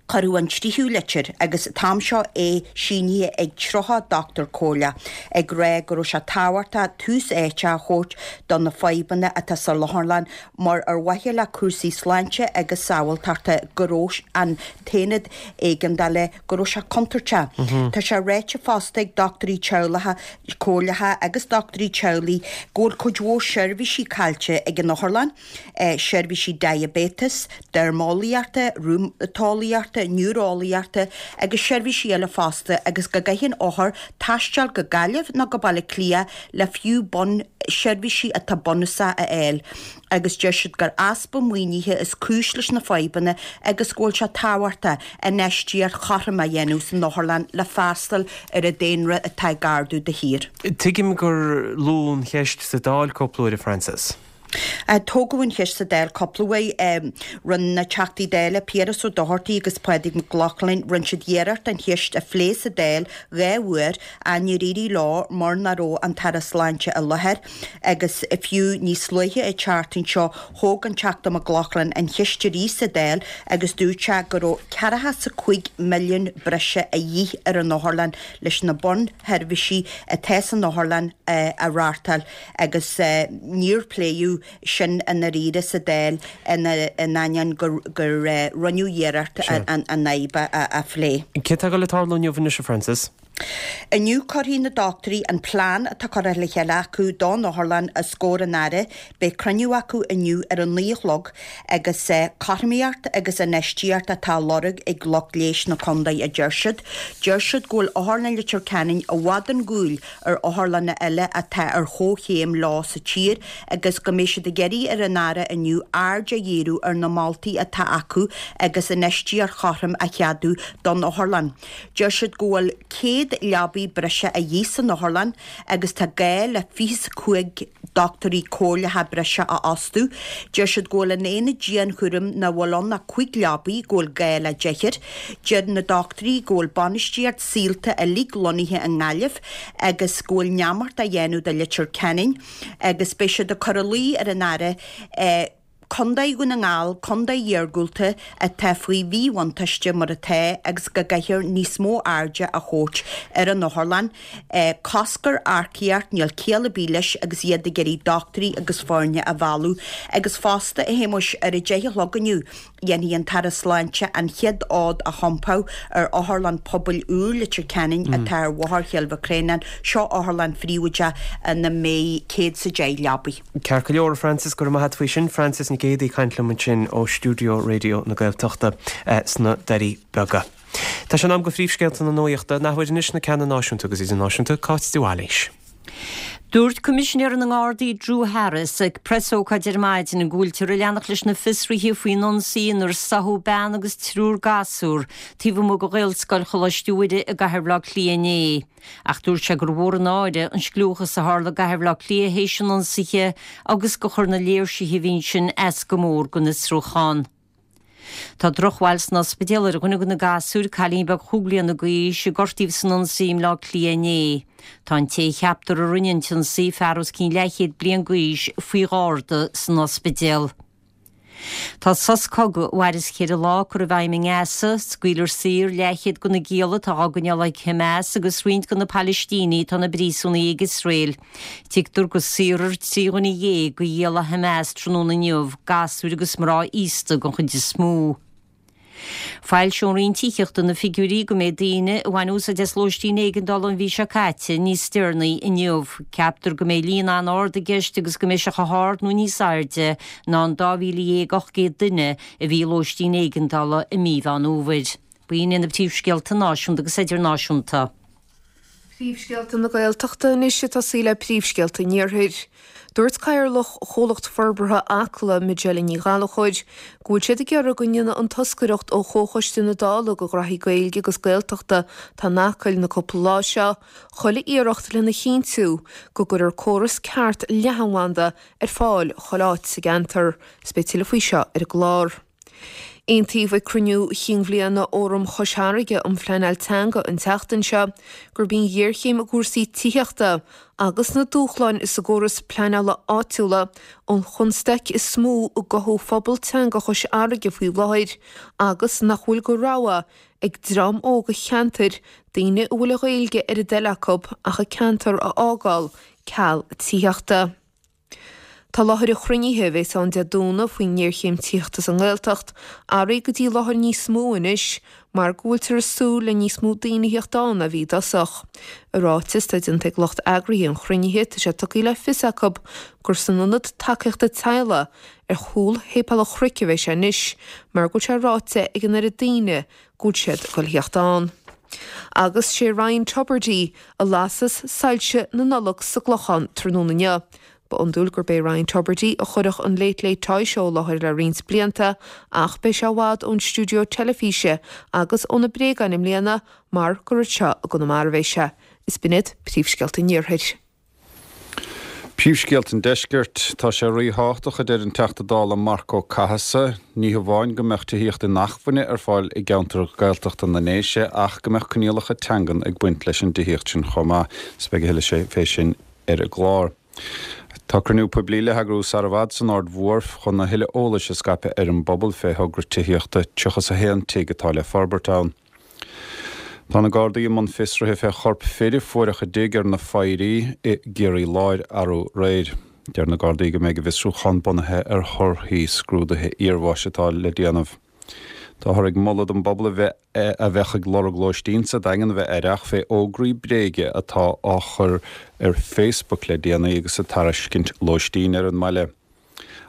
Cuireadh an tríú litir, agus an t-am seo é sínithe ag 30 dochtúir comhairleach, ag rá go raibh sé tábhachtach tús áite a thabhairt do na fadhbanna atá sa Otharlann mar ar mhaithe le cúrsaí sláinte agus sábháilteachta go raibh an t-aonad éigeandála go raibh sé contúirteach. Tá sé ráite fosta ag dochtúirí teaghlacha comhairleacha agus dochtúirí teaghlaigh go bhfuil cuid mhór seirbhísí caillte ag an otharlann. seirbhísí diaibéitis, deirmeolaíochta, rúmatólaíochta. Oftalmaíochta, Neoireolaíochta agus seirbhísí eile fosta agus go gcaitheann othair taisteal go Gaillimh nó go Baile Átha Cliath le fiú bun seirbhísí atá bunúsach a fháil agus deir siad gur easpa maoinithe is cúis leis na fadhbanna agus go bhfuil sé tábhachtach infheistíocht chothrom a dhéanamh san otharlann le freastal ar an daonra atá ag ardú de shíor.
Tuigim gur luadh an cheist sa Dáil cúpla uair, a Frances.
Tógadh an cheist sa Dáil cúpla uair. Rinne na Teachtaí Dála Piaras Ó Dochartaigh agus Pádraig Mac Lochlainn, rinne siad iarracht an cheist a phlé sa Dáil 2 uair ach níor éirigh leo mar nach raibh an tAire Sláinte i láthair agus fiú níos luaithe an tseachtain seo thóg an Teachta Mac Lochlainn an cheist arís sa Dáil agus dúirt sé go raibh 45 milliún breise a dhíth ar an otharlann leis na bunsheirbhísí atá san otharlann a reáchtáil. agus níor pléadh sin i ndáiríre sa Dáil in ainneoin gur rinneadh iarracht an fhadhb a phlé.
Céard atá ag dul ag tarlú inniu anois, a Frances?
Inniu cuirfidh na dochtúirí an plean atá curtha le chéile acu don otharlann os comhair an Aire. Beidh cruinniú acu inniu ar a 9 a chlog agus cothromaíocht agus infheistíocht atá á lorg ag lucht leighis na contae, a deir siad. Deir siad go bhfuil Otharlann Leitir Ceanainn i bhfad chun cúil ar otharlanna eile atá ar chomhchéim leo sa tír agus go mbeidh siad ag iarraidh ar an Aire inniu aird a dhíriú ar na moltaí atá acu agus infheistíocht chothrom a cheadú don otharlann. Deir siad go bhfuil 100 leabaidh breise a dhíth san otharlann agus tá gá le 25 dochtúirí comhairleacha breise a fhostú. Deir siad go bhfuil in aonad dianchúraim nach bhfuil ann ach 5 leabaidh, go bhfuil gá le deichniúr. Deir na dochtúirí go bhfuil bainistíocht Saolta uilig lonnaithe i nGaillimh agus go bhfuil neamart á dhéanamh de Leitir Ceanainn agus beidh siad ag cur ina luí ar an Aire Contae Dhún na nGall, contae iargúlta atá faoi mhíbhuntáiste mar atá agus go gcaithfear níos mó airde a thabhairt ar an otharlann. Cosc ar earcaíocht, níl ciall ar bith leis agus iad ag iarraidh dochtúirí agus foirne a mhealladh. Agus fosta, a Shéamuis, ar a 10 a chlog inniu, Dhéanfaidh an tAire Sláinte an chéad fhód a thiompú ar Otharlann Pobail úr Leitir Ceanainn atá ar Bhóthar Chill Mhic Réanáin. Seo otharlann phríobháideach ina mbeidh 110 leabaidh.
Ceart go leor, a Frances, go raibh maith a't faoi sin. Frances Nic Géadaigh ag caint liom ansin ó stiúideo Raidió na Gaeltachta sna Doirí Beaga. Tá sé in am do phríomhscéalta na nuachta. An athuair anois na ceanna náisiúnta agus idirnáisiúnta, Cáit de Bhailís.
Dúirt Coimisinéir na nGardaí Drew Harris ag preasócáid ar maidin go bhfuiltear ag leanacht leis na fiosruithe faoin ionsaí inar sáthadh bean agus triúr gasúr taobh amuigh de Ghaelscoil Choláiste Mhuire i gcathair Bhaile Átha Cliath inné. Ach dúirt sé gur mhór an náire an scliúchas a tharla i gcathair Bhaile Átha Cliath théis an ionsaithe agus gur chuir na léirsithe a bhí ansin as go mór don fhiosrúchán. Tá drochbhail san ospidéal ar dhuine de na gasúir, cailín beag chúig bliana d'aois, a gortaíodh san ionsaí i mBleá Cliath inné. Tá an té a cheaptar a rinne an t-ionsaí, fear os cionn leathchéad bliain d'aois, faoi gharda san ospidéal. Tá sos cogaidh a mhairfeas cheithre lá curtha i bhfeidhm i nGaza. Scaoilfear saor leathchéad de na gialla atá á gcoinneáil ag Hamas agus roinnt de na Palaistínigh atá ina bpríosúnaigh ag Iosrael. Tuigtear go saorfar 13 dhuine de ghialla Hamas tráthnóna inniu, gasúir agus mná aosta den chuid is mó. Foilseoidh an Roinn Tithíochta na figiúirí go méid daoine a bhain úsáid as lóistín éigeandála an mhí seo caite níos deireanaí inniu. Ceaptar go mbeidh líon an-ard i gceist agus go mbeidh sé chomh hard nó níos airde ná an 12,800 duine a bhí i lóistín éigeandála i mí Mheán Fhómhair. B'in iad na príomhscéalta náisiúnta agus idirnáisiúnta.
Príomhscéalta na Gaeltachta anois ag tosaí le príomhscéalta an Iarthair. Dúirt Cathaoirleach Chomhlacht Forbartha Acla, Majella Ní Ghallchóir, go bhfuil siad ag iarraidh go ndéanfaidh an toscaireacht ó Chomhchoiste na Dála do Ghraithí Gaeilge agus Gaeltachta atá in Acaill na cúpla lá seo, chuile iarracht lena chinntiú go gcuirfear córas ceart leathanbhanda ar fáil chuile áit sa gceantar. Is beidh tuilleadh faoi seo ar an gclár. Aontaíodh ag cruinniú chinn bhliana Fhóram Chois Fharraige um Phleanáil Teanga an tseachtain seo gurb í an ghéarchéim i gcúrsaí tithíochta agus na dúshláin sa gcóras pleanála áitiúla an chonstaic is mó i gcothú phobal teanga Chois Fharraige faoi láthair agus nach bhfuil de rogha ag dream óg an cheantair, daoine a bhfuil an Ghaeilge ar a dtoil acu, ach an ceantar a fhágáil ceal tithíochta. Tá láthair an chruinnithe, a bhéas ann Dé Domhnaigh, faoin ngéarchéim tithíochta sa nGaeltacht, athraithe go dtí láthair níos mó anois. mar go bhfuiltear ag súil le níos mó daoine a theacht ann ná bhí i dtosach. I ráiteas atá déanta ag lucht eagraithe an chruinnithe tá sé tugtha le fios acu gur san Ionad Tacaíochta Teaghlaigh ar chúl Shéipéal an Chnoic a bheidh sé anois mar go bhfuil sé ráite ag an oiread daoine go bhfuil siad ag dul a theacht ann. Agus sé Ryan Tubridy a lasfas soilse na Nollag sa gClochán tráthnóna inniu. Ba iondúil gurb é Ryan Tubridy a chuirfeadh an Late Late Toy Show i láthair le roinnt blianta ach beidh sé i bhfad ón stiúideo teilifíse agus ó na bréagáin i mbliana mar gur anseo i gConamara a bheidh sé. Is b'in iad príomhscéalta an Iarthair.
Príomhscéalta an Deiscirt, Tá sé ríthábhachtach, a deir an Teachta Dála Marc Ó Cathasaigh, ní hamháin go mbeadh tithíocht inacmhainne ar fáil i gceantair Ghaeltachta na nDéise ach go mbeadh coinníollacha teangan ag baint leis an dtithíocht sin chomh maith. Is beidh a thuilleadh fé sin ar an gclár. Tá cruinniú poiblí le heagrú sar i bhfad san Aird Mhór chun a thuilleadh eolais a scaipeadh ar an bpobal fé thogra tithíochta 31 tigh atá le forbairt ann. Tá na Gardaí i mbun fiosraithe fé chorp fir a fuaireadh i dtigh ar na Foidhrí i gCiarraí Láir arú aréir. Deir na Gardaí go mbeidh a bhfiosrúchán bunaithe ar thorthaí scrúduithe iarbháis atá le déanamh. Táthar ag moladh don bpobal a bheith a bheadh ag lorg lóistín sa Daingean a bheith aireach fé fhógraí bréige atá á chur ar Facebook le déanaí agus ag tairiscint lóistín ar an mbaile.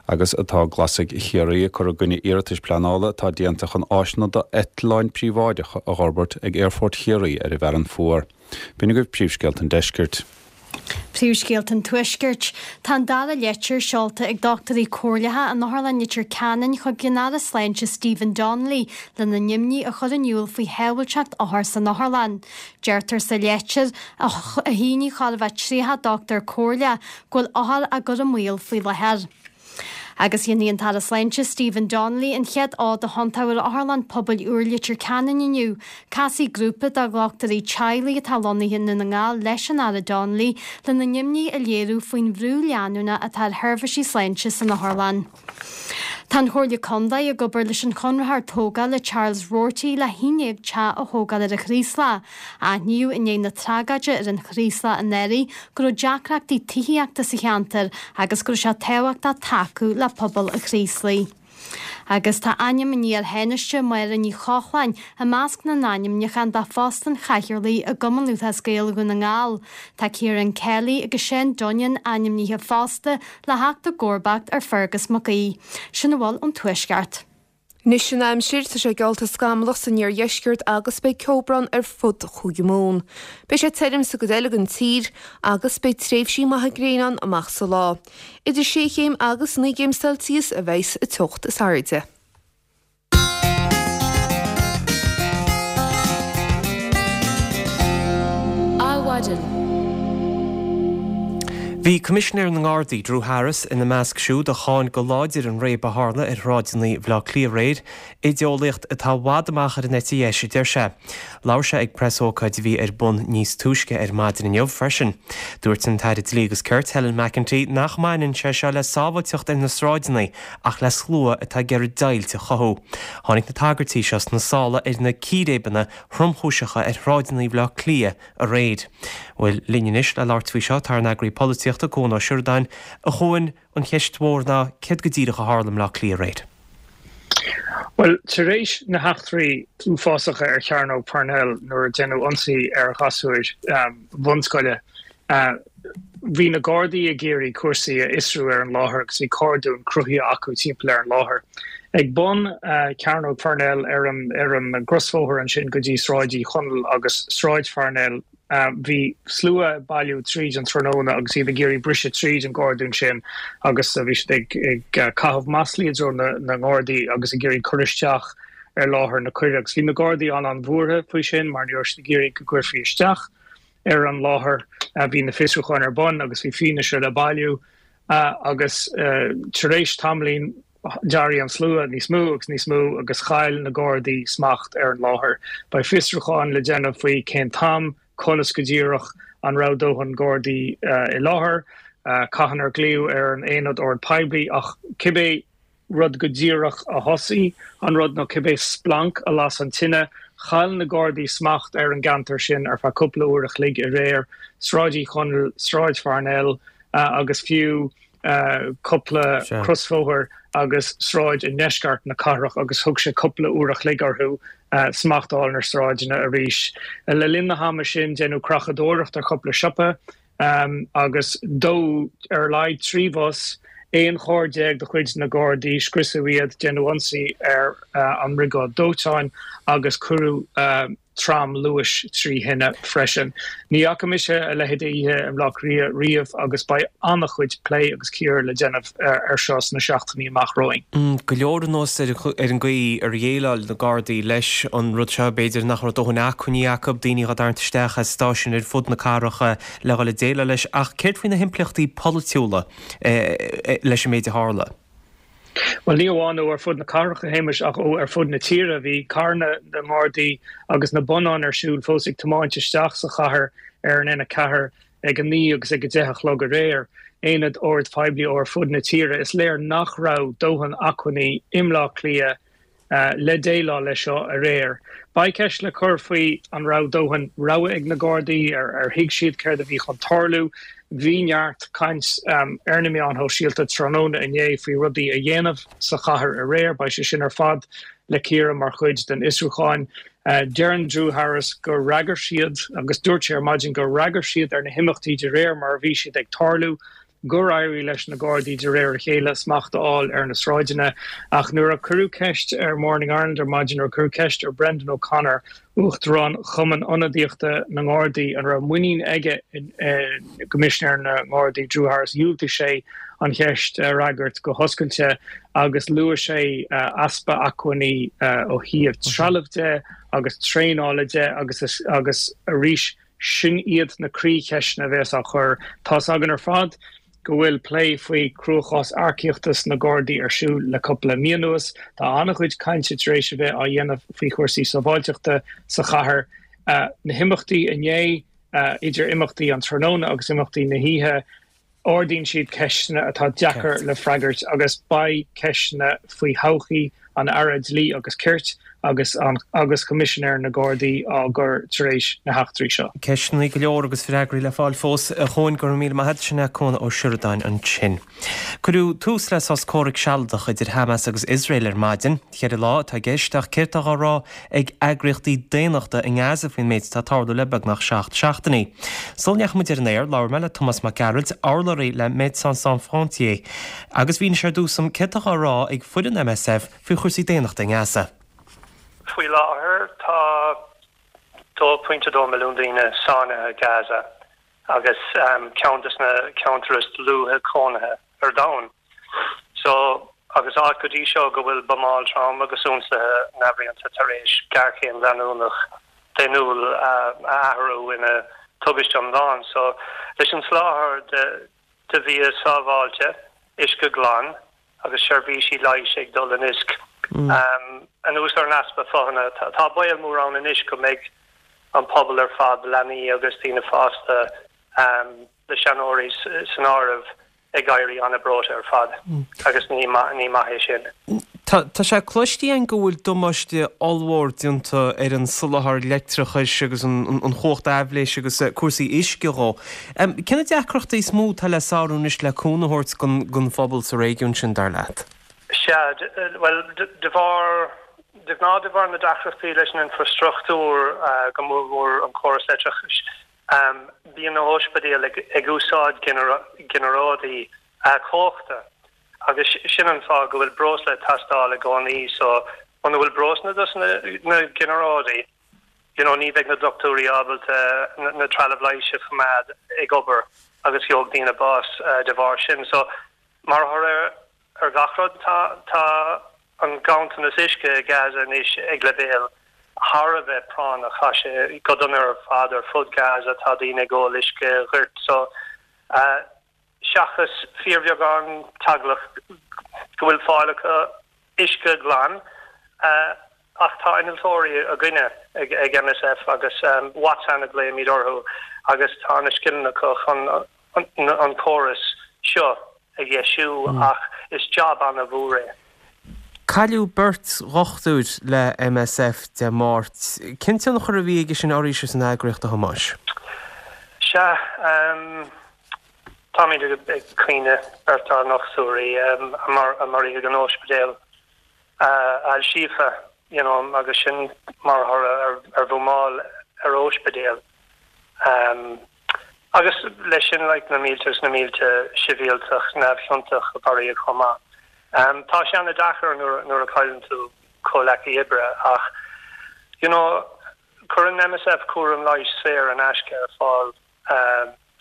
Agus tá Glasaigh Chiarraí ag cur i gcoinne iarratais pleanála atá déanta chun áiseanna d'eitleáin príobháideacha a dh'fhorbairt ag Aerfort Chiarraí ar an bhFearann Fuar. B'in agaibh príomhscéalta an deiscirt.
Príomhscéalta an Tuaiscirt. Tá an dara leitir seolta ag dochtúirí comhairleacha in Otharlann Leitir Ceanainn chuig an Aire Sláinte Stephen Donnelly lena n-imní a chur in iúl faoi shábháilteacht othar san otharlann. Deirtear sa leitir, a shínigh chóir a bheith 30 dochtúir comhairleach, go bhfuil othair á gcur i mbaol faoi láthair. Agus déanfaidh an tAire Sláinte Stephen Donnelly an chéad fhód a thiontú ar Otharlann Pobail úr Leitir Ceanainn inniu. Casfaidh grúpa de dhochtúirí teaghlaigh atá lonnaithe i nDún na nGall leis an Aire Donnelly lena n-imní a léiriú faoin bhrú leanúnach atá ar sheirbhísí sláinte san otharlann. Tá an Chomhairle Contae ag obair leis an chonraitheoir tógála Charles Roarty le 11 teach a thógáil ar an Chraoslach. Aithníodh i ndiaidh na tragóide ar an Chraoslach anuraidh go raibh deacrachtaí tithíochta sa cheantar agus go raibh sé tábhachtach tacú le pobal an Chraoslaigh. Agus tá ainm an iar-Thánaiste Máire Ní Chochláin i measc na n-ainmniúchán do phost an chathaoirligh i gCumann Lúthchleas Gael Dhún na nGall. Tá Ciarán Kelly agus Seán Dunnion ainmnithe fosta le theacht i gcomharbacht ar Fergus Mac Aoidh. Sin a bhfuil ón Tuaisceart.
Anois an aimsir, tá sé geallta scamallach san iardheisceart agus beidh ceobhrán ar fud Chúige Mumhan. Beidh sé tirim sa gcuid eile den tír agus beidh tréimhsí maithe gréine ann amach sa lá. Idir sé chéim agus 9 gcéim Celsius a bheidhs an teocht is airde.
Adhmhaidin. Bhí Coimisinéir na nGardaí, Drew Harris, ina measc siúd a cháin go láidir an réabadh a tharla ar shráideanna Bhaile Átha Cliath aréir, idéeolaíocht atá i bhfad amach ar an eite dheis, a deir sé. Labhair sé ag preasócáid a bhí ar bun níos túisce ar maidin inniu freisin. Dúirt an tAire Dlí agus Cirt, Helen McEntee, nach mbaineann sé seo le sábháilteacht ar na sráideanna ach le slua atá ag iarraidh deighilt a chothú. Tháinig na tagairtí seo sna sála ar na círéibeanna thromchúiseacha ar shráideanna Bhaile Átha Cliath aréir. Bhuel, linn anois le labhairt faoi seo tá ár n-eagraí polaitíochta, Cuan Ó Seireadáin. A Chuain, an cheist mhór ná céard go díreach a tharla i mBleá Cliath aréir?
Bhuel, tar éis na heachtraí uafásacha ar Chearnóg Parnell nuair a déanadh ionsaí ar ghasúir bhunscoile, bhí na Gardaí ag iarraidh cúrsaí a fhiosrú ar an láthair agus bhí cordún cruthaithe acu timpeall ar an láthair. Ag bun Chearnóg Pharnell ar an ar an gcrosbhóthar ansin go dtí Sráid Uí Chonaill agus Sráid Pharnell, bhí slua ag bailiú tríd an tráthnóna agus iad ag iarraidh briseadh tríd an gcordún sin agus bhí siad ag ag caitheamh maslaí i dtreo na na nGardaí agus ag iarraidh cur isteach ar láthair na coire agus bhí na Gardaí an-an-bhuartha faoi sin mar ní raibh siad ag iarraidh go gcuirfí isteach ar an láthair. Bhí na fiosrúcháin ar bun agus bhí fianaise le bailiú agus tar éis tamaillín d'éirigh an slua níos mó agus níos mó agus chaill na Gardaí smacht ar an láthair. Beidh fiosrúcháin le déanamh faoi cén t-am, conas go díreach, an raibh dóthain Gardaí i láthair, cathain ar glaodh ar an Aonad Ord Poiblí ach cibé rud go díreach a thosaigh an rud nó cibé splanc a las an tine. Chaill na Gardaí smacht ar an gceantar sin ar feadh cúpla uair a chloig aréir, Sráid Uí Chonaill, Sráid Pharnell agus fiú cúpla crosbhóthar agus sráid i ndeisceart na cathrach agus thug sé cúpla uair a chloig orthu. smacht a fháil ar na sráideanna arís. Le linn na hama sin, déanadh creachadóireacht ar chúpla siopa agus dódh ar a laghad 3 bhus, 11 charr de chuid na Gardaí, scriosadh iad, déanadh ionsaí ar an mbriogáid dóiteáin agus cuireadh tram luais 3 thine freisin. Ní fhaca mise a leithéid d'oíche i mBleá Cliath riamh agus beidh an-chuid plé agus cíoradh le déanamh air seo sna seachtainí amach romhainn.
Go leor anuas ar an gcaoi ar dhéileáil na Gardaí leis an rud seo, b'fhéidir nach raibh dóthain acmhainní acu, daoine á dtarraingt isteach as stáisiúin ar fud na cathrach le dhul ag déileáil leis. Ach céard faoi na himpleachtaí polaitiúla leis an méid a tharla?
Bhuel, ní amháin ó ar fud na cathrach, a Shéamais, ach ó ar fud na tíre. Bhí carranna na nGardaí agus na bonnáin ar siúl fós ag tiomáint isteach sa chathair ar an N4 ag 9 agus ag 10 a chlog aréir. Aonaid oird phoiblí ó ar fud na tíre. Is léir nach raibh dóthain acmhainní i mBleá Cliath le déileáil leis seo aréir. Beidh ceist le cur faoi an raibh dóthain rabhadh ag na Gardaí, ar thuig siad céard a bhí chun tarlú. Bhí neart caint ar na meáin shóisialta tráthnóna inné faoi rudaí a dhéanamh sa chathair aréir. Beidh sé sin ar fad le cíoradh mar chuid den fhiosrúchán. Deireann Drew Harris gur fhreagair siad, agus dúirt sé ar maidin gur fhreagair siad ar na himeachtaí de réir mar a bhí siad ag tarlú. gur éirigh leis na Gardaí de réir a chéile smacht a fháil ar na sráideanna. Ach nuair a cuireadh ceist ar Morning Ireland ar maidin, nuair a cuireadh ceist ar Brendan O'Connor, Uachtarán Chumann Ionadaíochta na nGardaí, an raibh muinín aige i gCoimisinéir na nGardaí, Drew Harris, dhiúltaigh sé an cheist a fhreagairt go hoscailte agus luaigh sé easpa acmhainní ó thaobh trealaimh de agus traenála de agus agus arís Sin iad na croícheisteanna a bheas á chur. Tá's againn ar fad go bhfuil plé faoi chruachás earcaíochta sna Gardaí ar siúl le cúpla mí anuas. Tá an-chuid cainte tar éis a bheith á dhéanamh faoi chúrsaí sábháilteachta sa chathair. Na himeachtaí inné, idir imeachtaí an tráthnóna agus imeachtaí na hoíche, Ardaíonn siad ceisteanna atá deacair le freagairt agus beidh ceisteanna faoi thodhchaí an Aire Dlí agus Cirt agus agus Choimisinéir na Gardaí á gcur tar éis na heachtraí seo.
Ceisteanna go leor agus freagraí le fáil fós. A Chuain, go raibh míle maith agat. Sin é Cuan Ó Seireadáin ansin. Cuireadh tús le sos comhraic sealadach idir Hamas agus Iosrael ar maidin. Cheithre lá atá i gceist ach céard atá á rá ag eagraíochtaí daonnachta i nGaza faoin méid atá ag tarlú le beagnach 7 seachtainí. Sula ndeachaigh muid ar an aer, labhair mé le Tomás Mac Gearailt, urlabhraí le Médecins Sans Frontières, agus mhínigh sé ar dtús dom céard atá á rá ag foireann MSF faoi chúrsaí daonnachta i nGaza.
Faoi láthair tá 2.2 milliún daoine sáinnithe i Gaza agus ceann de na ceantair is dlúithe cónaithe ar domhan. So, agus áit go dtí seo go bhfuil buamáil trom agus ionsaithe neamhrialta tar éis géarchéim leanúnach daonnúil a athrú ina tubaiste iomlán. So, leis an soláthar de bhia sábháilte, uisce glan agus seirbhísí leighis ag dul in oisc, anuas ar an easpa fothana, tá baol mór ann anois go mbeidh an pobal ar fad, leanaí agus daoine fásta, le seanóirí san áireamh, ag éirí an-bhreoite ar fad agus ní maith é sin.
Tá sé cloiste againn go bhfuil damáiste ollmhór déanta ar an soláthar leictreachais agus an chumhacht aibhléise agus cúrsaí uisce dhó. Cé na deacrachtaí is mó atá le sárú anois le cúnamh a thabhairt don phobal sa réigiún sin, dar leat?
Sea, bhuel, de bharr, de ghnáth de bharr na deacrachtaí leis an infreastruchtúr, go mórmhór an córas leictreachais, Bíonn na hospidéil ag úsáid ginearáidí cumhachta agus sin an fáth go bhfuil breosla ag teastáil i gcónaí. So muna bhfuil breosla dos na ginearáidí, you know, ní bheidh na dochtúirí ábalta na trealamh leighis a choimeád ag obair agus gheobhaidh daoine bás de bharr sin. So mar thoradh Ar gach rud, tá an ganntanas uisce i Gaza anois ag leibhéal thar a bheith práinneach. Tá sé go dona ar fad ar fud Gaza, tá daoine ag ól uisce goirt. So, seachas fíorbheagán teaghlach go bhfuil fáil acu uisce glan, ach tá innealtóirí againne ag MSF agus Watsan a ghlaoimid orthu agus tá na scileanna acu chun an córas seo a dheisiú ach is jab an-mhór é.
Cailleadh beirt dhochtúir le MSF Dé Máirt. Cén tionchar a bhí aige sin oraibhse san eagraíocht, a Thomáis?
Sea, táimid ag caoineadh beirt dár ndochtúirí a maraíodh in Ospidéal Al-Shifa. you know, agus sin mar thoradh ar bhuamáil ar óispidéal. Agus leis sin like na mílte is na mílte sibhialtach neamhchiontach a maraíodh chomh maith. Tá sé an-deacair nuair a chailleann tú comhleacaí oibre ach you know cuireann MSF cúram leighis saor in aisce ar fáil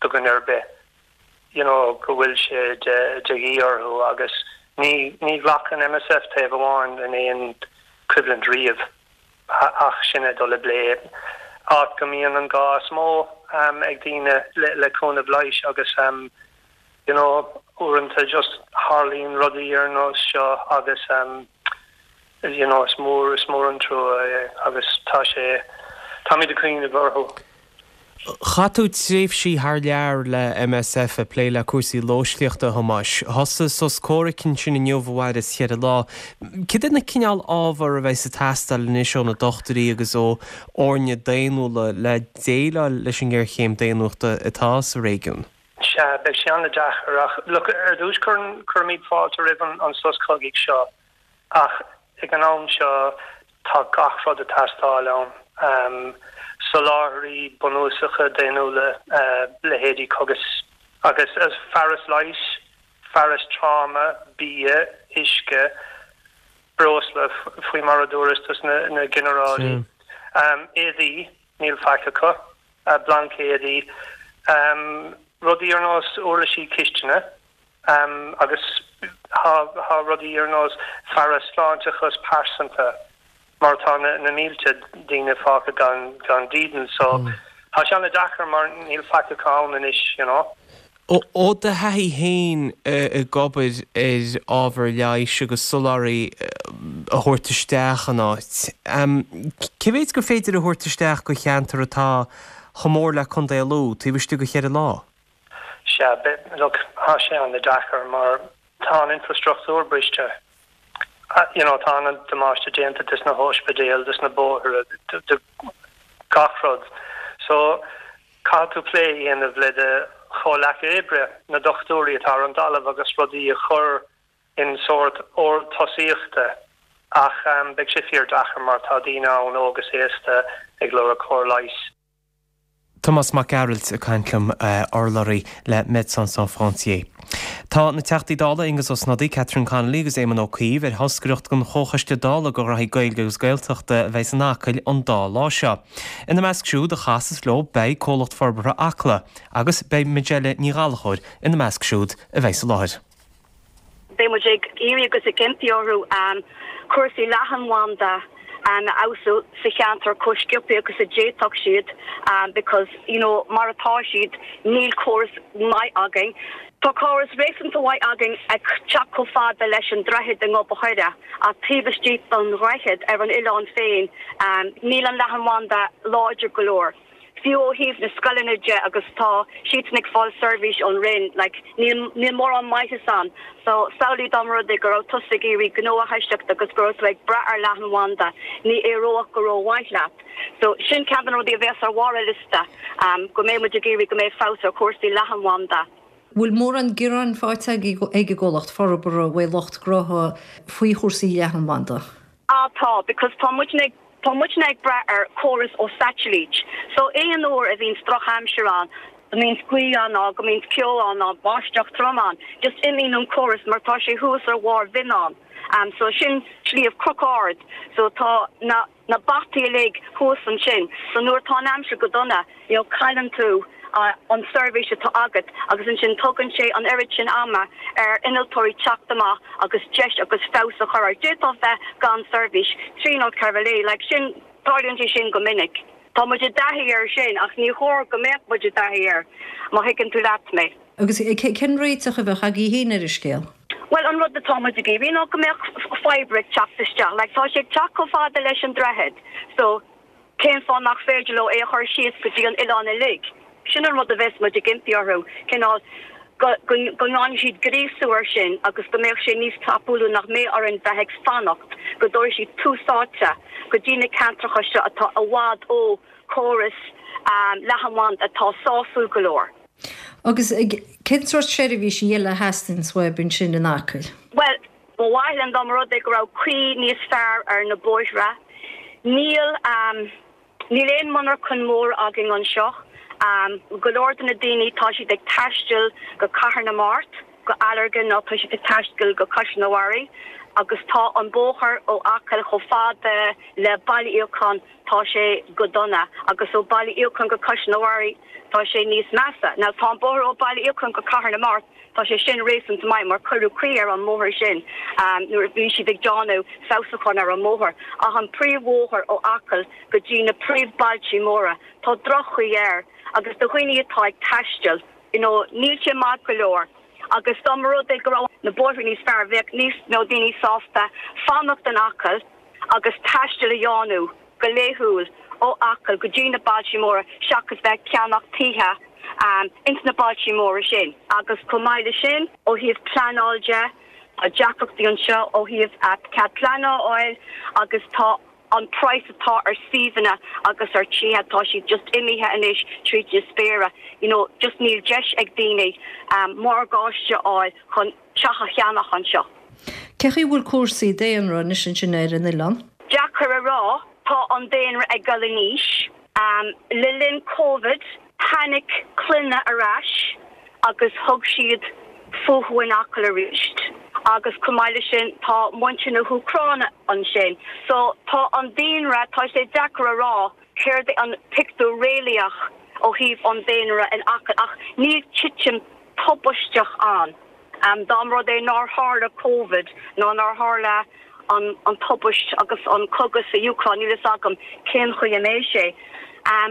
do dhuine ar bith you know go bhfuil sé de dhíth orthu agus ní ní ghlacann MSF taobh amháin in aon choimhlint riamh. ach sinn ag dul i bplé áit go mbíonn an gá is mó ag daoine le cúnamh leighis agus you know uaireanta just tharlaíonn rudaí ar nós seo agus you know is mór is mór an trua é agus tá sé táimid ag cuimhneamh orthu.
Chaith tú tréimhsí thar lear le MSF ag plé le cúrsaí lóistíochta, a Thomáis. Thosaigh sos comhraic ansin inniu a mhaireas cheithre lá. Cad é na cineál ábhar a bheidhs ag teastáil anois ó na dochtúirí agus ó fhoirne daonnúla le déileáil leis an ngéarchéim daonnúchta atá sa réigiún?
Sea, beidh sé an-deacair ach, look, ar dtús cuirimid fáilte roimh an sos cogaidh seo. Ach ag an am seo tá gach rud ag teastáil ann, soláthraí bunúsacha daonnúla, leithéidí cogais agus fearas leighis, fearas tráma, bia, uisce, breosla, faoi mar a dúras dos na ginearálaí, éadaí, níl faic acu, blaincéadaí, rudaí ar nós uirlisí cistine. Agus tá rudaí ar nós fearas sláinteachas pearsanta mar tá na mílte daoine fágtha gan dídean so tá sé an-deacair mar níl faic acu ann anois you know.
Ó do thaithí féin ag obair ar ábhar leighis agus soláthraí a thabhairt isteach in áit, cé mhéid gur féidir a thabhairt isteach go cheantar atá chomh mór le Contae Lú taobh istigh de cheithre lá?
Sea, look, tá sé an-deacair mar tá an infrastruchtúr briste. You know, tá an-damáiste déanta des na hóispidéil, des na bóithre, de gach rud. So, caithfidh tú plé a dhéanamh le do chomhleacaithe oibre, na dochtúirí atá ar an dtalamh agus rudaí a chur in sórt ord tosaíochta ach beidh sé fíor-deacair mar tá daoine ann, óg is aosta, ag lorg cóir leighis.
Tomás Mac Gearailt ag caint liom, urlabhraí le Médecins Sans Frontières. Tá na Teachtaí Dála Aengus Ó Snodaigh, Catherine Connolly agus Éamon Ó Cuív ar thoscaireacht den Chomhchoiste Dála do Ghraithí Gaeilge agus Gaeltachta a bheidh in Acaill an dá lá seo. Ina measc siúd a chasas leo beidh Comhlacht Forbartha Acla agus beidh Majella Ní Ghallchóir ina measc siúd a bheidh sa láthair.
Beidh muid ag iarraidh agus ag impí orthu cúrsaí leathanbhanda a fheabhsú sa cheantar chomh sciobtha agus a d'fhéadfadh siad because you know mar atá siad níl córas maith againn. Tá córas réasúnta mhaith againn ag teacht chomh fada leis an droichead i nGob a' Choire ach taobh istigh den dhroichead ar an oileán féin níl an leathanbhanda láidir go leor. Fiú ó thaobh na scoileanna de agus tá siadsan ag fáil seirbhís ón Roinn, like, níl, níl mórán maitheas ann. So, samhlaigh dá mba rud é go raibh tusa ag iarraidh gnó a thoiseacht agus go raibh tú ag brath ar leathanbhanda, ní éireodh go rómhaith leat. So, sin ceann de na rudaí a bheas ar bharr an liosta, um, go mbeidh muid ag iarraidh go mbeidh feabhas ar chúrsaí leathanbhanda.
Bhfuil mórán gearáin faighte ag ag an gcomhlacht forbartha uaidh lucht gnótha faoi chúrsaí leathanbhanda?
Ah tá, because tá muidne ag, tá muidne ag brath ar chóras ó saitilít. So aon uair a bhíonns drochaimsir ann, go mbíonns gaoth ann ná go mbíonns ceo ann ná báisteach trom ann, just imíonn an córas mar tá sé thuas ar bharr Bhinneáin. So sin sliabh cnoc ard. So tá na. na bataí uilig thuas ansin so nuair atá an aimsir go dona you know cailleann tú an seirbhís atá agat agus ansin tugann sé an oiread sin ama ar innealtóirí teacht amach agus deis agus feabhas a chur air. D'fhéadfá bheith gan seirbhís trí nó ceithre lae like sin tarlaíonn sé sin go minic. Tá muid i dtaithí air sin ach ní chóir go mbeadh muid i dtaithí air má thuigeann tú leat mé.
Agus cén réiteach a bheadh agaibh féin ar an scéal?
Bhuel, an rud atá muid ag iarraidh ná go mbeadh fibre ag teacht isteach. Like, tá sé ag teacht chomh fada leis an droichead, so cén fáth nach féidir leo é a chur síos go dtí an oileán uilig? Sin an rud a bheas muid ag impí orthu, cineál go, go, go ndéanfaidh siad gríosú air sin agus go mbeadh sé níos tapúla nach mbeadh orainn bheith ag fanacht go dtabharfaidh siad tús áite go dtí na ceantracha seo atá i bhfad ó chóras leathanbhanda atá sásúil go leor.
Agus cén sórt seirbhísí eile a theastaíonns uaibh ansin in Acaill?
Bhuel, Ba mhaith linn dá mba rud é go raibh caoi níos fearr ar na bóithre. Níl níl aon monarchan mór againn anseo. Go leor de na daoine tá siad ag taisteal go Cathair na Mart, go Allergan nó tá siad ag taisteal go Caisleán an Bharraigh agus tá an bóthar ó Acaill chomh fada le Baile Íocáin tá sé go dona agus ó Baile Íocáin go Caisleán an Bharraigh tá sé níos measa. Now tá an bóthar ó Baile Íocáin go Cathair na Mart Tá sé sin réasúnta maith mar cuireadh caoi ar an mbóthar sin nuair a bhí siad ag déanamh feabhsúcháin ar an mbóthar. Ach an príomhbhóthar ó Acaill go dtí na príomhbhailtí móra, tá droch-chaoi air agus do dhaoine atá ag taisteal, you know, níl sé maith go leor. Agus dá mba rud é go raibh na bóithre níos fearr, bheadh níos mó daoine sásta fanacht in Acaill agus taisteal a dhéanamh go laethúil ó Acaill go dtí na bailtí móra seachas bheith ag ceannach tithe ins na bailtí móra sin. Agus chomh maith le sin, ó thaobh pleanáil de, tá deacrachtaí anseo ó thaobh cead pleanála a fháil agus tá an praghas atá ar suíomhanna agus ar tithe, tá siad just imithe anois tríd na spéire. You know, just níl deis ag daoine morgáiste a fháil chun teach a cheannach anseo.
Cé chaoi bhfuil cúrsaí daonra anois ansin ar an oileán?
Deacair a rá, tá an daonra ag dul in aois. Le linn Covid, tháinig clainne ar ais agus thug siad fúthu in Acaill arís agus chomh maith leis sin tá muintir na hÚcráine ansin. So tá an daonra, tá sé deacair a rá céard é an pictiúr réalaíoch ó thaobh an daonra in Acaill ach níl titim tubaisteach ann. Dá mba rud é nár tharla Covid nó nár tharla an tubaist agus an cogadh sa Úcráin, níl fhios agam cén chaoi a mbeidh sé.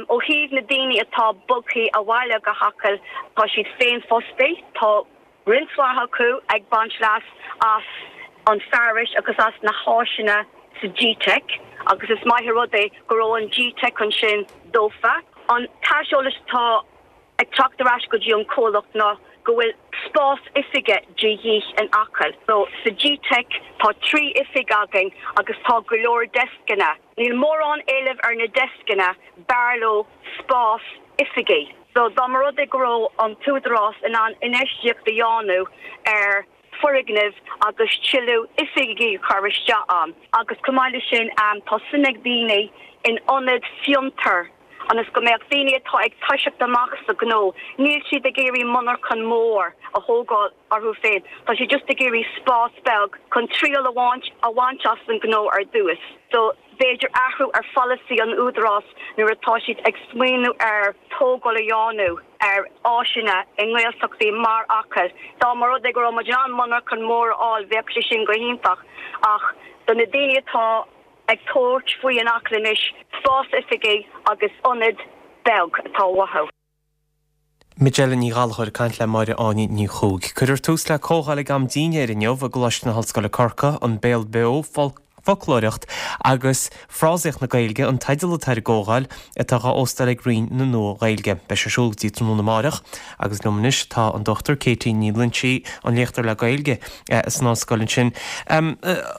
Ó thaobh na daoine atá bogthaí abhaile go hAcaill, tá siad féinfhostaí, tá roinnt mhaith acu ag baint leas as an fearais agus as na háiseanna sa G-Teic agus is maith an rud é go raibh an G-Teic ansin dófa. An t-aiseolas atá ag teacht ar ais go dtí an comhlacht ná go bhfuil spás oifige de dhíth in Acaill. So, sa G-Teic tá 3 oifig againn agus tá go leor deascanna. Níl mórán éilimh ar na deascanna, b'fhearr leo spás oifigí. So, dá mba rud é go raibh an t-údarás in ann infheistíocht a dhéanamh ar foirgnimh agus tuilleadh oifigí a chur isteach ann agus chomh maith leis sin tá suim ag daoine in ionad fiontair ionas go mbeadh daoine atá ag toiseacht amach sa ghnó, níl siad ag iarraidh monarchan mór a thógáil orthu féin, tá siad just ag iarraidh spás beag chun triail a bhaint as an ghnó ar dtús. So b'fhéidir athrú ar pholasaí an Údarás nuair atá siad ag smaoineamh ar tógáil a dhéanamh. ar áiseanna i nGaeltachtaí mar Acaill. Dá mba rud é go raibh muid in ann monarchan mór a fháil bheadh sé sin go hiontach ach do na daoine atá ag tabhairt faoi in Acaill anois, spás oifigí agus ionad beag atá uathu.
Majella Ní Ghallchóir ag caint le Máire Áine Ní Chuaig. Cuirfear tús le comhdháil ag am dinnéir inniu i gColáiste na hOllscoile Corcaigh, An Béal Beo, Foclóireacht agus Frásaíocht na Gaeilge an teideal atá ar an gcomhdháil atá á óstáil ag Roinn na Nua-Ghaeilge. Beidh sé ar siúl go dtí tráthnóna amáireach agus liom anois tá an Dr Katie Ní Loingsigh, an léachtóir le Gaeilge san ollscoil ansin. A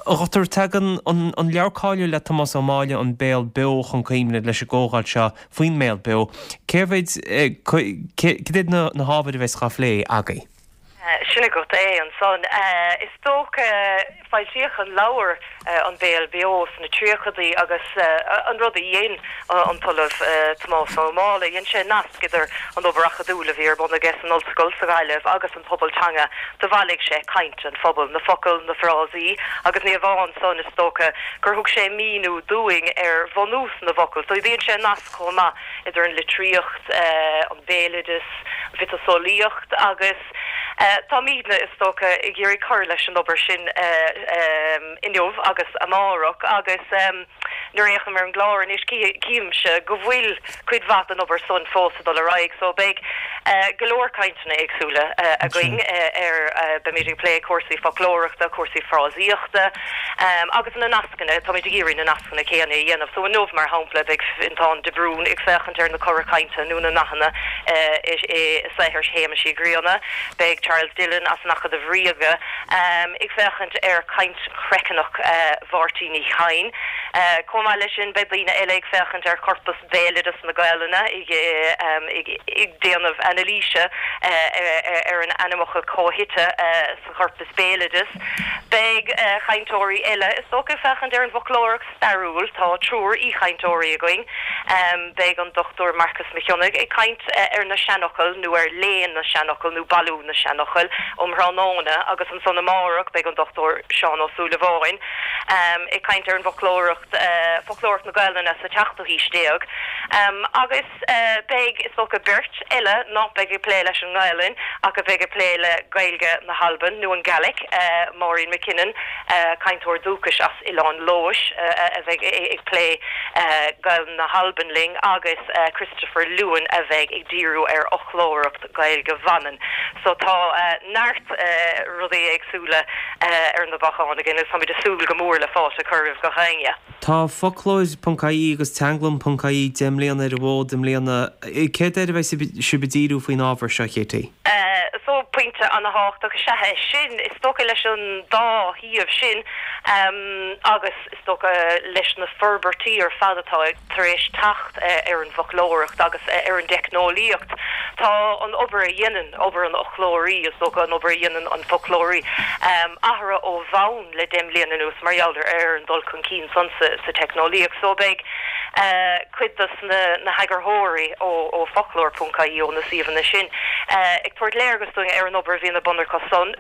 Dhochtúir, tagann an leabhar cáiliúil le Tomás Ó Máille, An Béal Beo, chun cuimhne leis an gcomhdháil seo faoin mBéal Beo. Cé mhéid, cad iad na hábhair a bheas á phlé agaibh?
Sin agat é ansan. Is dócha, foilsíodh an leabhar An Béal Beo sna tríochadaí agus an rud a dhein an tOllamh Tomás Ó Máille, dhein sé nasc idir an obair acadúil a bhí ar bun aige san ollscoil sa Ghaillimh agus an pobal teanga. Do bhailigh sé caint an phobail, na focail, na frásaí agus ní hamháin san, is dócha gur thug sé míniú dúinn ar bhunús na bhfocal. So dhein sé nasc chomh maith idir an litríocht, an béaloideas, an mhiotaseolaíocht agus táimidne, is dócha, ag iarraidh cur leis an obair sin inniu agus amárach agus nuair a fhéachaim ar an gclár anois címse go bhfuil cuid mhaith den obair san fós ag dul ar aghaidh so beidh go leor cainteanna éagsúla againn ar, beimid ag plé cúrsaí foclóireachta, cúrsaí frásaíochta agus na nascanna, táimid ag iarraidh na nascanna céanna a dhéanamh. So inniu, mar shampla, beidh Fionntán de Brún ag féachaint ar na cora cainte nó na nathanna. I saothar Shéamais Uí Ghrianna. Beidh Charles Dillon as an Acadamh Ríoga ag féachaint ar chaint chraiceannach Mháirtín Uí Chadhain. Chomh maith leis sin, beidh daoine eile ag féachaint ar chorpas béaloideas na Gaelainne, ag déanamh anailíse ar an ainmfhocal comhshuite sa chorpas béaloideas. Beidh cainteoirí eile, is dócha, ag féachaint ar an bhfoclóireacht stairiúil. Tá triúr aoichainteoirí againn. Beidh an Dr Marcus Mac Cionnaith ag caint ar na seanfhocail nó ar léann na seanfhocal nó bailiú na seanfhocal um thráthnóna agus ansan amárach beidh an Dr Seán Ó Súilleabháin ag caint ar an bhfoclóireacht, foclóireacht na Gaelainne sa tseachtú haois déag. Agus. Beidh, is dócha, beirt eile nach mbeidh ag plé leis an nGaelainn ach a bheidh ag plé le Gaeilge na hAlban nó an Gaelic, Máirín McKinnon, cainteoir dúchais as Oileán Leodhais a bheidh ag plé Gaelainn na hAlban linn agus Christopher Lewin a bheidh ag díriú ar fhoclóireacht Gaeilge Mhanann. So tá neart rudaí éagsúla ar na bacáin againn agus táimid ag súil go mór le fáilte a chur roimh gach éinne.
Tá Foclóir.ie agus Teanglann.ie 10 mbliana ar an bhfód i mbliana. Céard air a bheidh sibh ag díriú faoin ábhar seo, Katie?
So, pointe ana-thábhachtach is ea é sin. Is dócha leis an dá shuíomh sin agus is dócha leis na forbairtí ar fad atá tar éis teacht ar an bhfoclóireacht agus ar an dteicneolaíocht, tá an obair a dhéanann, obair an fhoclóirí, is dócha an obair a dhéanann an foclóirí, athraithe ó bhonn. le 10 mbliana anuas mar gheall ar an dul chun cinn san sa teicneolaíocht. So beidh cuid dos na heagarthóirí ó Foclóir ponc ie, ó na suíomhanna sin, ag tabhairt léargas dúinn ar an obair a bhíonn ar bun acu san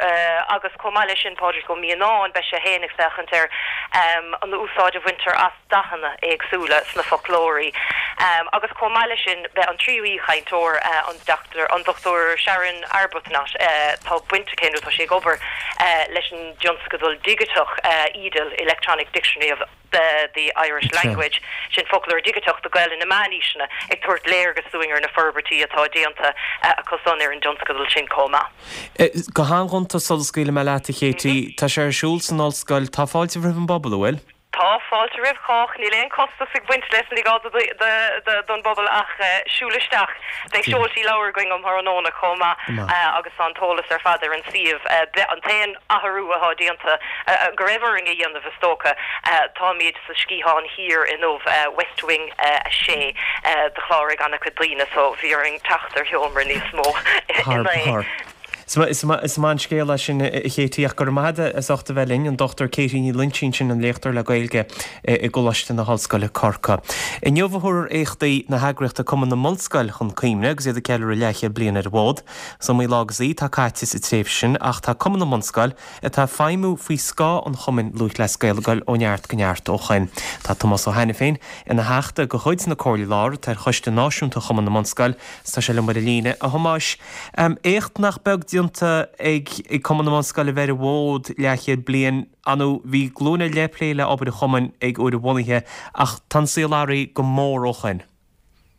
agus chomh maith leis sin Pádraig Ó Mianáin, beidh sé féin ag féachaint ar an úsáid a bhaintear as dathanna éagsúla sna foclóirí agus chomh maith leis sin beidh an tríú aoichainteoir, an an Dr Sharon Arbuthnot, tá baint aici nó tá sí ag obair leis an dtionscadal digiteach EDIL, Electronic Dictionary of the Irish Language, sin foclóir digiteach do Ghaelainn na Meánaoiseanna, ag tabhairt léargas dúinn ar na forbairtí atá déanta acu san ar an dtionscadal sin chomh
maith. Go han-ghonta sula scaoilfidh mé leat, a Katie, tá sé ar siúl san ollscoil, tá fáilte roimh an bpobal, an bhfuil?
Tá fáilte roimh chách. Níl aon chostas ag baint leis, ní gá don bpobal ach siúl isteach. Beidh seoltaí leabhar againn um thráthnóna chomh maith agus tá an t-eolas ar fad ar an suíomh. An t-aon athrú atá déanta, go raibh orainn a dhéanamh is dócha, táimid sa Sciathán Thiar inniu, West Wing 6. D'chláraigh an-chuid daoine so bhí orainn teacht ar sheomra níos mó inné.
Is maith an scéal é sin, a Katie, ach go raibh maith agat as ucht a bheith linn, an Dr Katie Ní Loinsigh sin, an léachtóir le Gaeilge i gColáiste na hOllscoile, Corcaigh. Inniu a thabharfar éachtaí na heagraíochta Cumann na mBunscol chun cuimhne agus iad ag ceiliúradh leathchéad bliain ar an bhfód. Is iomaí lá agus oíche atá caite sa tréimhse sin ach tá Cumann na mBunscol atá ag feidhmiú faoi scáth an Chumainn Lúthchleas Gael ag dul ó neart go neart ó shoin. Tá Tomás Ó hAiniféin ina theachta de chuid na Comhairle Lár atá ar Choiste Náisiúnta Chumann na mBunscol 's tá sé liom ar an líne. A Thomáis, Éacht nach beag déanta ag Cumann na mBunscol a bheith ar an bhfód leathchéad bliain. Ar ndóigh, bhí glúin ar leith ag plé le obair an chumainn ag uair a bhunaithe ach tá an saol athraithe go mór ó shoin.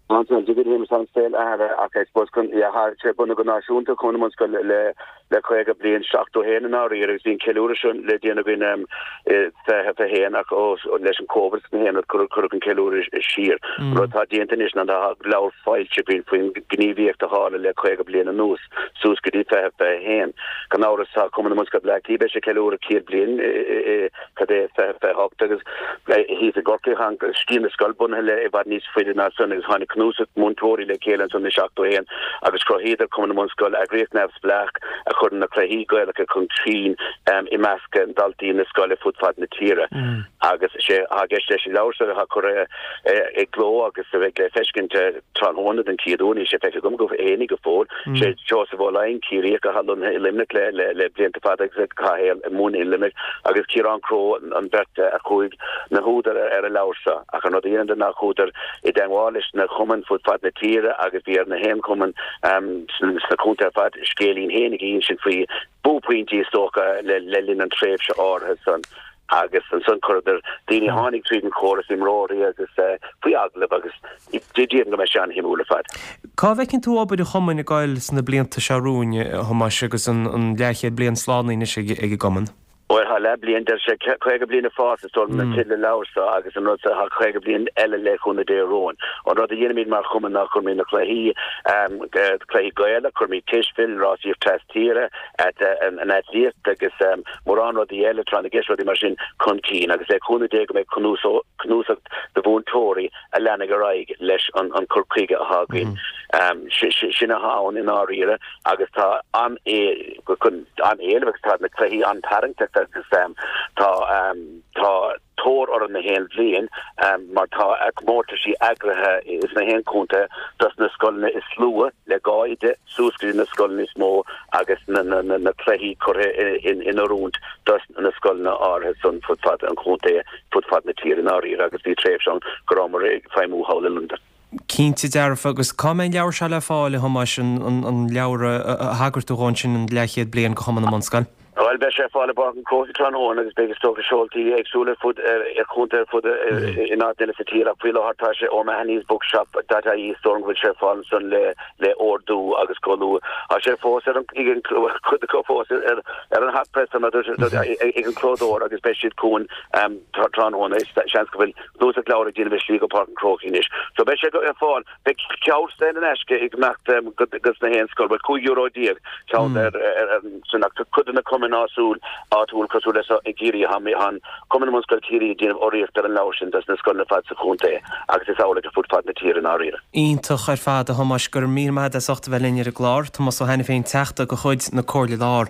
Tá an tá an saol athraithe ach I suppose chun, yeah, tá sé bunaithe go náisiúnta Cumann na mBunscol le le 50 bliain, 71 i ndáiríre agus bhí an ceiliúradh seo le déanamh againn i 2021 ach ó leis an Covid is na haon rud cuireadh an ceiliúradh siar. An rud atá déanta anois ná tá leabhar foilsithe againn faoin ghníomhaíocht a tharla le 50 bliain anuas suas go dtí 2021. Gan amhras tá Cumann na mBunscol Bleá Cliath beidh sé ag ceiliúradh 100 bliain i cad é 2028 agus thíos i gCorcaigh tá Sciath na Scol bunaithe le i bhfad níos faide ná san agus tháinig cnuasach múinteoirí le chéile ansan i 71 agus chruthaíodar Cumann na mBunscol, eagraíocht neamhspleách a chuireann na cluichí Gaelacha chun cinn i measc daltaí na scoile fud fad na tíre. Agus is é atá i gceist leis an leabhar seo atá curtha i gcló agus a bheidh le feiscint tráthnóna den chéad uair, níl sé feicthe agam go fhéinig go fóill, sé Seosamh Ó Laighin, Ciarraíoch atá lonnaithe i Luimneach le blianta fada agus atá ag múineadh i Luimneach, agus Ciarán Crowe an bheirt a chuaigh na húdair ar an leabhar seo. Ach an rud a dheineadar ná chuadar i dteangmháil leis na cumainn fud fad na tíre agus bhí ar na haon chumann sna contaetha ar fad scéilín fhéinig a insint faoi buaicphointí is dócha le linn an tréimhse áirithe san agus ansan chuireadar daoine a tháinig tríd an chóras, imreoirí agus faoi agallamh agus déarfainn go mbeidh sé an-shuimiúil ar fad.
Cá bhfeiceann tú obair an chumainn ag goil sna blianta seo romhainn, a Thomáis, agus an leathchéad bliain slánaithe anois ag an gcumann?
Bhuel, tá leathbhliain, deir sé, 50 bliain ag fás is dóigh liom an teideal an leabhair seo agus an rud seo, tá 50 bliain eile le cúnamh Dé romhainn. An rud a dhéanaimid mar chumann ná cuirimid na cluichí, cluichí Gaelacha, cuirimid cispheil, rásaíocht tras tíre, an eitlíocht agus mórán rudaí eile, tráth na gceist, rudaí mar sin chun cinn agus le cúnamh Dé go mbeidh cnuasach de mhúinteoirí a leanfaidh ar aghaidh leis an cur chuige atá againn. Sin atá ann i ndáiríre agus tá an-éileamh agus tá na cluichí an-tarraingteach agus tá tá tóir orthu na haon bhliain mar tá comórtaisí eagraithe sna haon chontae dos na scoileanna is lú le 2 oide suas go dtí na scoileanna is mó agus na cluichí curtha in oiriúint dos na scoileanna áirithe san fud fad an chontae, fud fad na tíre i ndáiríre agus bhí tréimhse ann go rabhamar ag feidhmiú thall i Londain.
Cinnte dearfa. Agus cá mbeidh an leabhar seo le fáil, a Thomáis, an leabhar a thagair tú dhó ansin, an leathchéad bliain de Chumann na mBunscol?
Bhuel, beidh sé ar fáil i bPáirc an Chrócaigh tráthnóna agus beidh is dócha seoltaí éagsúla ar fud ar chontae ar fud in áiteanna eile sa tír ach faoi láthair tá sé O'Mahony's Bookshop dot ie is dóigh liom go bhfuil sé ar fáil ansan le le ordú agus go luath. Tá sé fós ar an ag an cuid acu fós ar ar an hot press ag an clódóir agus beidh siad chugainn tráthnóna. Seans go bhfuil cnuasach leabhar ag déanamh a slí go Páirc an Chrócaigh anois. So beidh sé ar fáil. Beidh ceann saor in aisce ag imeacht go sna haon scoil, bhuel €15 euro ceann ar san ach tá cuid de na cumainn áitiúil áitiúil cosúil le seo i gCiarraí tá an Cumann na mBunscol Ciarraí ag déanamh urraíocht ar an leabhar sin dos na scoileanna ar fad sa chontae agus is amhlaidh ar fud fad na tíre i ndáiríre.
Iontach ar fad a Thomáis, go raibh míle maith agat as ucht a bheith linn ar an gclár. Tomás Ó hAiniféin, Teachta de chuid na Comhairle Lár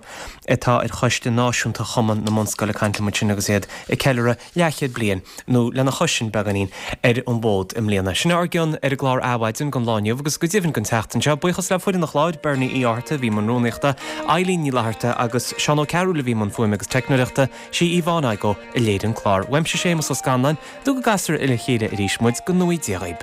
atá ar Choiste Náisiúnta Chumann na mBunscol ag caint liom ansin agus iad ag ceiliúradh leathchéad bliain, nó lena chois sin beagáinín, ar an bhfód i mbliana. Sin ár gcion ar an gclár Adhmhaidin don lá inniu agus go deimhin don tseachtain seo. Buíochas le foireann an chláir, Bernie Uí Fhátharta a bhí i mbun rúnaíochta, Eileen Ní Fhlatharta agus Seán Ó Cearúil a bhí i mbun fuaime agus teicneoireachta, sí Yvonne Igoe a léirigh an clár. Uaimse Séamus Ó Scanláin, nó go gcasfar le chéile arís muid, go ngnóthaí Dia dhaoib.